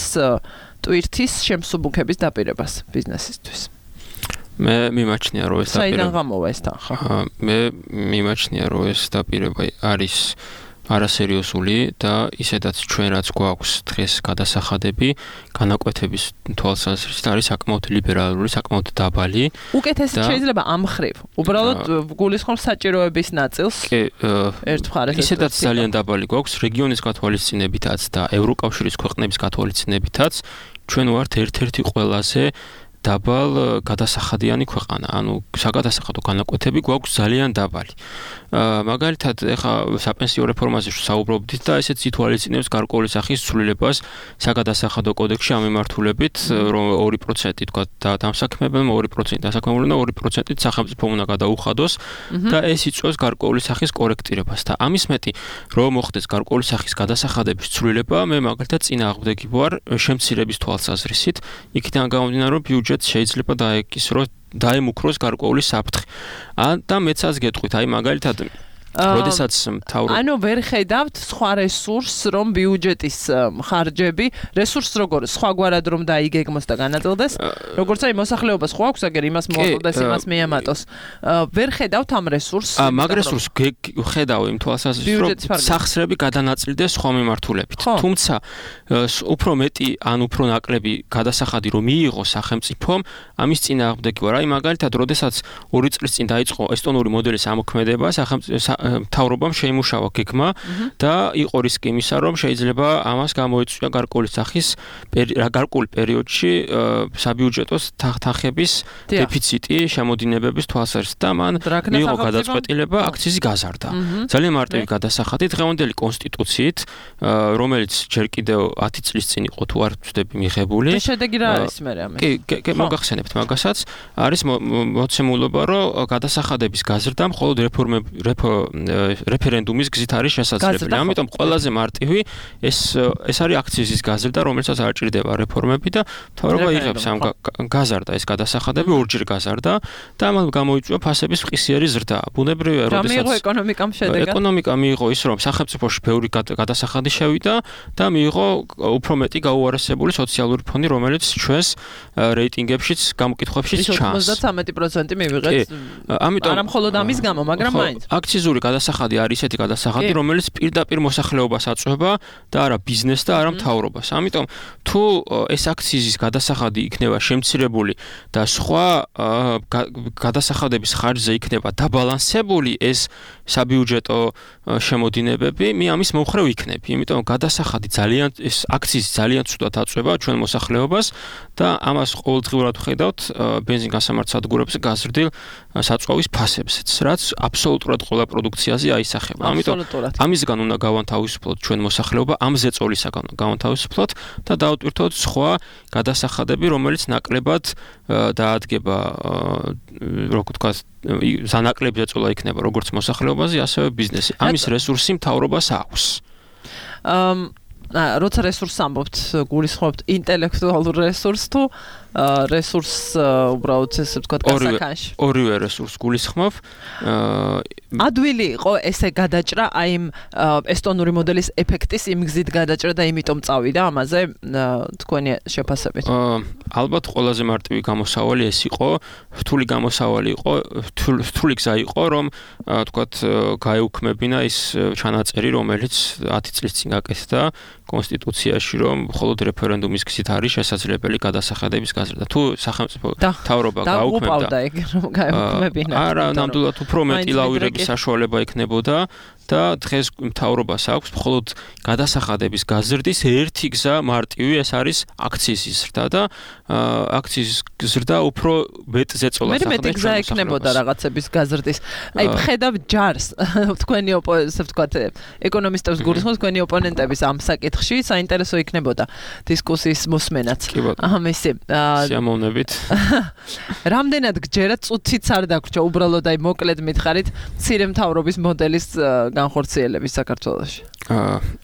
ტვირთის შემსუბუქების დაპირებას ბიზნესისთვის მე მიმაჩნია რომ ეს საიდან გამოვა ეს თანხა მე მიმაჩნია რომ ეს დაპირება არის არასერიოზული და ისედაც ჩვენ რაც გვაქვს დღეს გადასახადები განაკვეთების თვალსაზრისით არის საკმაოდ ლიბერალური, საკმაოდ დაბალი. უკეთესი შეიძლება ამ მხრივ. უბრალოდ გულისხმობს საჭიროების ნაწილს. ერთ მხარეს ისედაც ძალიან დაბალი გვაქვს რეგიონის გათვალისწინებითაც და ევროკავშირის ქვეყნების გათვალისწინებითაც ჩვენ ვართ ერთ-ერთი ყველაზე დაბალ გადასახადიანი ქვეყანა. ანუ საგადასახადო განაკვეთები გვაქვს ძალიან დაბალი. მაგალითად, ეხა საპენსიო რეფორმაზე საუბრობდით და ესეც ითვალისწინებს გარკვეული სახის ცვლილებას საგადასახადო კოდექსში ამ მიმართულებით, რომ 2% თქვა და დამსაქმებელმა 2% დასაქმებულმა და 2% სახელმწიფომ უნდა გადაუხადოს და ეს იწვევს გარკვეული სახის კორექტირებას და ამის მეტი რომ მოხდეს გარკვეული სახის გადასახადების ცვლილება, მე მაგალითად წინააღმდეგი ვარ შემცირების თვალსაზრისით, იქიდან გამომდინარე რომ ბიუჯეტს შეიძლება დაემუქროს გარკვეული საფრთხე. და მეცაც გეტყვით, აი მაგალითად როდესაც მთავრობა ანუ ვერ ხედავთ სხვა რესურსს რომ ბიუჯეტის ხარჯები რესურსს როგორ სხვაგვარად რომ დაიგეგმოს და განაწილდეს როგორც აი მოსახლეობას ხო აქვს აგერ იმას მოუწოდეს იმას მეამატოს ვერ ხედავთ ამ რესურსს მაგ რესურსს ხედავ იმ თვალსაზრისით რომ სახსრები გადანაწილდეს სხვა მიმართულებით თუმცა უფრო მეტი ან უფრო ნაკლები გადასახადი რომ მიიღო სახელმწიფომ ამის წინააღმდეგი ვარ აი მაგალითად როდესაც 2 წლის წინ დაიწყო ესტონური მოდელის ამოქმედება მთავრობამ შეიმუშავა გეგმა და იყო რისკი იმისა, რომ შეიძლება ამას გამოიწვია გარკვეული სახის გარკვეულ პერიოდში საბიუჯეტო თანხების დეფიციტი შემოდინებების თვალსაზრისით და მან მიიღო გადაწყვეტილება აქციზი გაზარდა. ძალიან მარტივი გადასახადი დღევანდელი კონსტიტუციით, რომელიც ჯერ კიდევ 10 წლის წინ იყო თუ არ ვცდები მიღებული. შედეგი რა არის მე ამას? კი, მოგახსენებთ მაგასაც, არის მოცემულობა, რომ გადასახადების გაზრდა მხოლოდ რეფერენდუმის გზით არის შესაძლებელი. ამიტომ ყველაზე მარტივი ეს არის აქციზის გაზრდა, რომელსაც არ ჭირდება რეფორმები და მთავრობა იღებს ამ გაზარდა ეს გადასახადები ორჯერ გაზარდა და ამან გამოიწვია ფასების მყისიერი ზრდა. ბუნებრივია, როდესაც მიიღო ეკონომიკამ შედეგად. ეკონომიკა მიიღო ის, რომ სახელმწიფოში ბევრი გადასახადი შევიდა და მიიღო უფრო მეტი გაუარესებული სოციალური ფონი, რომელიც ჩვენს რეიტინგებშიც, გამოკითხვებშიც ჩანს. 73% მივიღეთ. ამიტომ არა მხოლოდ ამის გამო, მაგრამ მაინც. აქციზური გადასახადი არის ესეთი გადასახადი, რომელიც პირდაპირ მოსახლეობას აწვება და არა ბიზნესს და არა მთავრობას. ამიტომ თუ ეს აქციზის გადასახადი იქნება შემცირებული და სხვა გადასახადების ხარჯზე იქნება დაბალანსებული ეს საბიუჯეტო შემოდინებები, მე ამის მომხრე ვიქნები. იმიტომ გადასახადი ეს აქციზი ძალიან ცუდად აწვება ჩვენ მოსახლეობას და ამას ყოველდღიურად ვხედავთ ბენზინგასამართ სადგურებზე გაზრდილ საწვავის ფასებზეც, რაც აბსოლუტურად ყველა პროდუქციაზე აისახება. ამიტომ ამისგან უნდა გავანთავისუფლოთ ჩვენ მოსახლეობა, ამ ზეწოლისაგან გავანთავისუფლოთ და დავტვირთოთ სხვა გადასახადები, რომელიც ნაკლებად დაადგება, როგორ ვთქვათ, ზანაკლები ზეწოლა იქნება როგორც მოსახლეობაზე, ასევე ბიზნესი. ამის რესურსი მთავრობას აქვს. როცა რესურსს ამბობთ, გულისხმობთ ინტელექტუალურ რესურსს თუ რესურსს უბრალოდ ესე ვთქვათ გასახანში. ორივე რესურსს გულისხმობ. ადვილი იყო ესე გადაჭრა აი იმ ესტონური მოდელის ეფექტის იმ გზით გადაჭრა და იმიტომ წავიდა ამაზე თქვენი შეფასებით. ალბათ ყველაზე მარტივი გამოსავალი ეს იყო, რთული გამოსავალი იყო, რთული გზა იყო, რომ ვთქვათ გაეუქმებინა ის ჩანაწერი, რომელიც 10 წლის წინ გაკეთდა კონსტიტუციაში, რომ მხოლოდ რეფერენდუმის გზით არის შესაძლებელი გადასახადების გაზრდა. თუ სახელმწიფო მთავრობა გაუქმებდა, არა, ნამდვილად უფრო მეტი ლავრების საშუალება იქნებოდა და დღეს მთავრობას აქვს მხოლოდ გადასახადების გაზრდის ერთი გზა მარტივი, ეს არის აქციის ზრდა და აქციის ზრდა უფრო მეტზე წოლას ახდენს. მე მეტი გზა ექნებოდა რაღაცების გაზრდის. აი ხედავ ჯარს თქვენი ესე ვთქვათ ეკონომისტებს გულისხმობს თქვენი ოპონენტების ამ საკითხში საინტერესო იქნებოდა დისკუსიის მოსმენაც. ამისი სიამოვნებით. რამდენად გჯერა წუთიც არ დაგვრჩა უბრალოდ აი მოკლედ მითხარით მცირე მთავრობის მოდელის განხორციელების საქართველოში.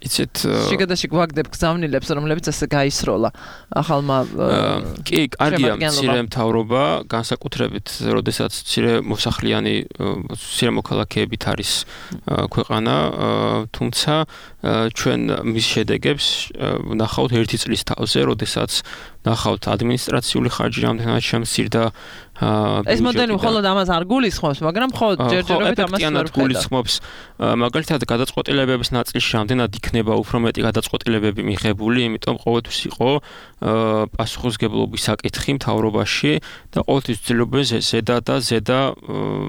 იცით შიგადაშიგ ვაგდებ გზავნილებს რომლებიც ესე გაისროლა ახალმა კი კარგია მცირე მთავრობა განსაკუთრებით როდესაც მცირე მოსახლიანი მცირე მოქალაქეებით არის ქვეყანა თუმცა ჩვენ მის შედეგებს ნახავთ ერთი წლის თავზე როდესაც ნახავთ ადმინისტრაციული ხარჯი რამდენად შემცირდა ეს მოდელი მხოლოდ ამას არ გულისხმობს, მაგრამ მხოლოდ ჯერჯერობით ამას ვერ გულისხმობს. მაგალითად, გადაწყვეტილებების ნაწილში რამდენად იქნება უფრო მეტი გადაწყვეტილებები მიღებული, იმიტომ ყოველთვის იყო პასუხისმგებლობის საკითხი მთავრობაში და ყოველთვის ვცდილობენ ზედა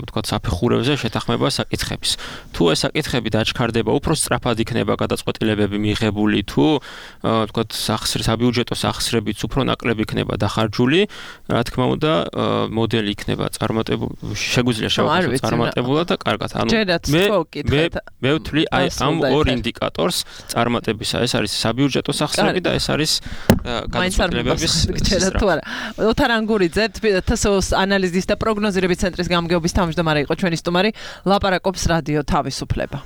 ვთქვათ საფეხურებზე შეთანხმება საკითხების. თუ ეს საკითხები დაჩქარდება, უფრო სწრაფად იქნება გადაწყვეტილებები მიღებული, თუ ვთქვათ საბიუჯეტო სახსრებიც უფრო ნაკლები იქნება დახარჯული, რა თქმა უნდა მოდელი იქნება შეგვიძლია შევაკეთოთ წარმატებულად და კარგად. ანუ მე ვთვლი აი ამ ორ ინდიკატორს წარმატებისა. ეს არის საბიუჯეტო სახსრები და ეს არის გადაწყვეტილებების სტრაფა. ოთარ ანგურიძე, თსოს ანალიზის და პროგნოზირების ცენტრის გამგეობის თავმჯდომარე იყო ჩვენი სტუმარი, ლაპარაკობს რადიო თავისუფლება.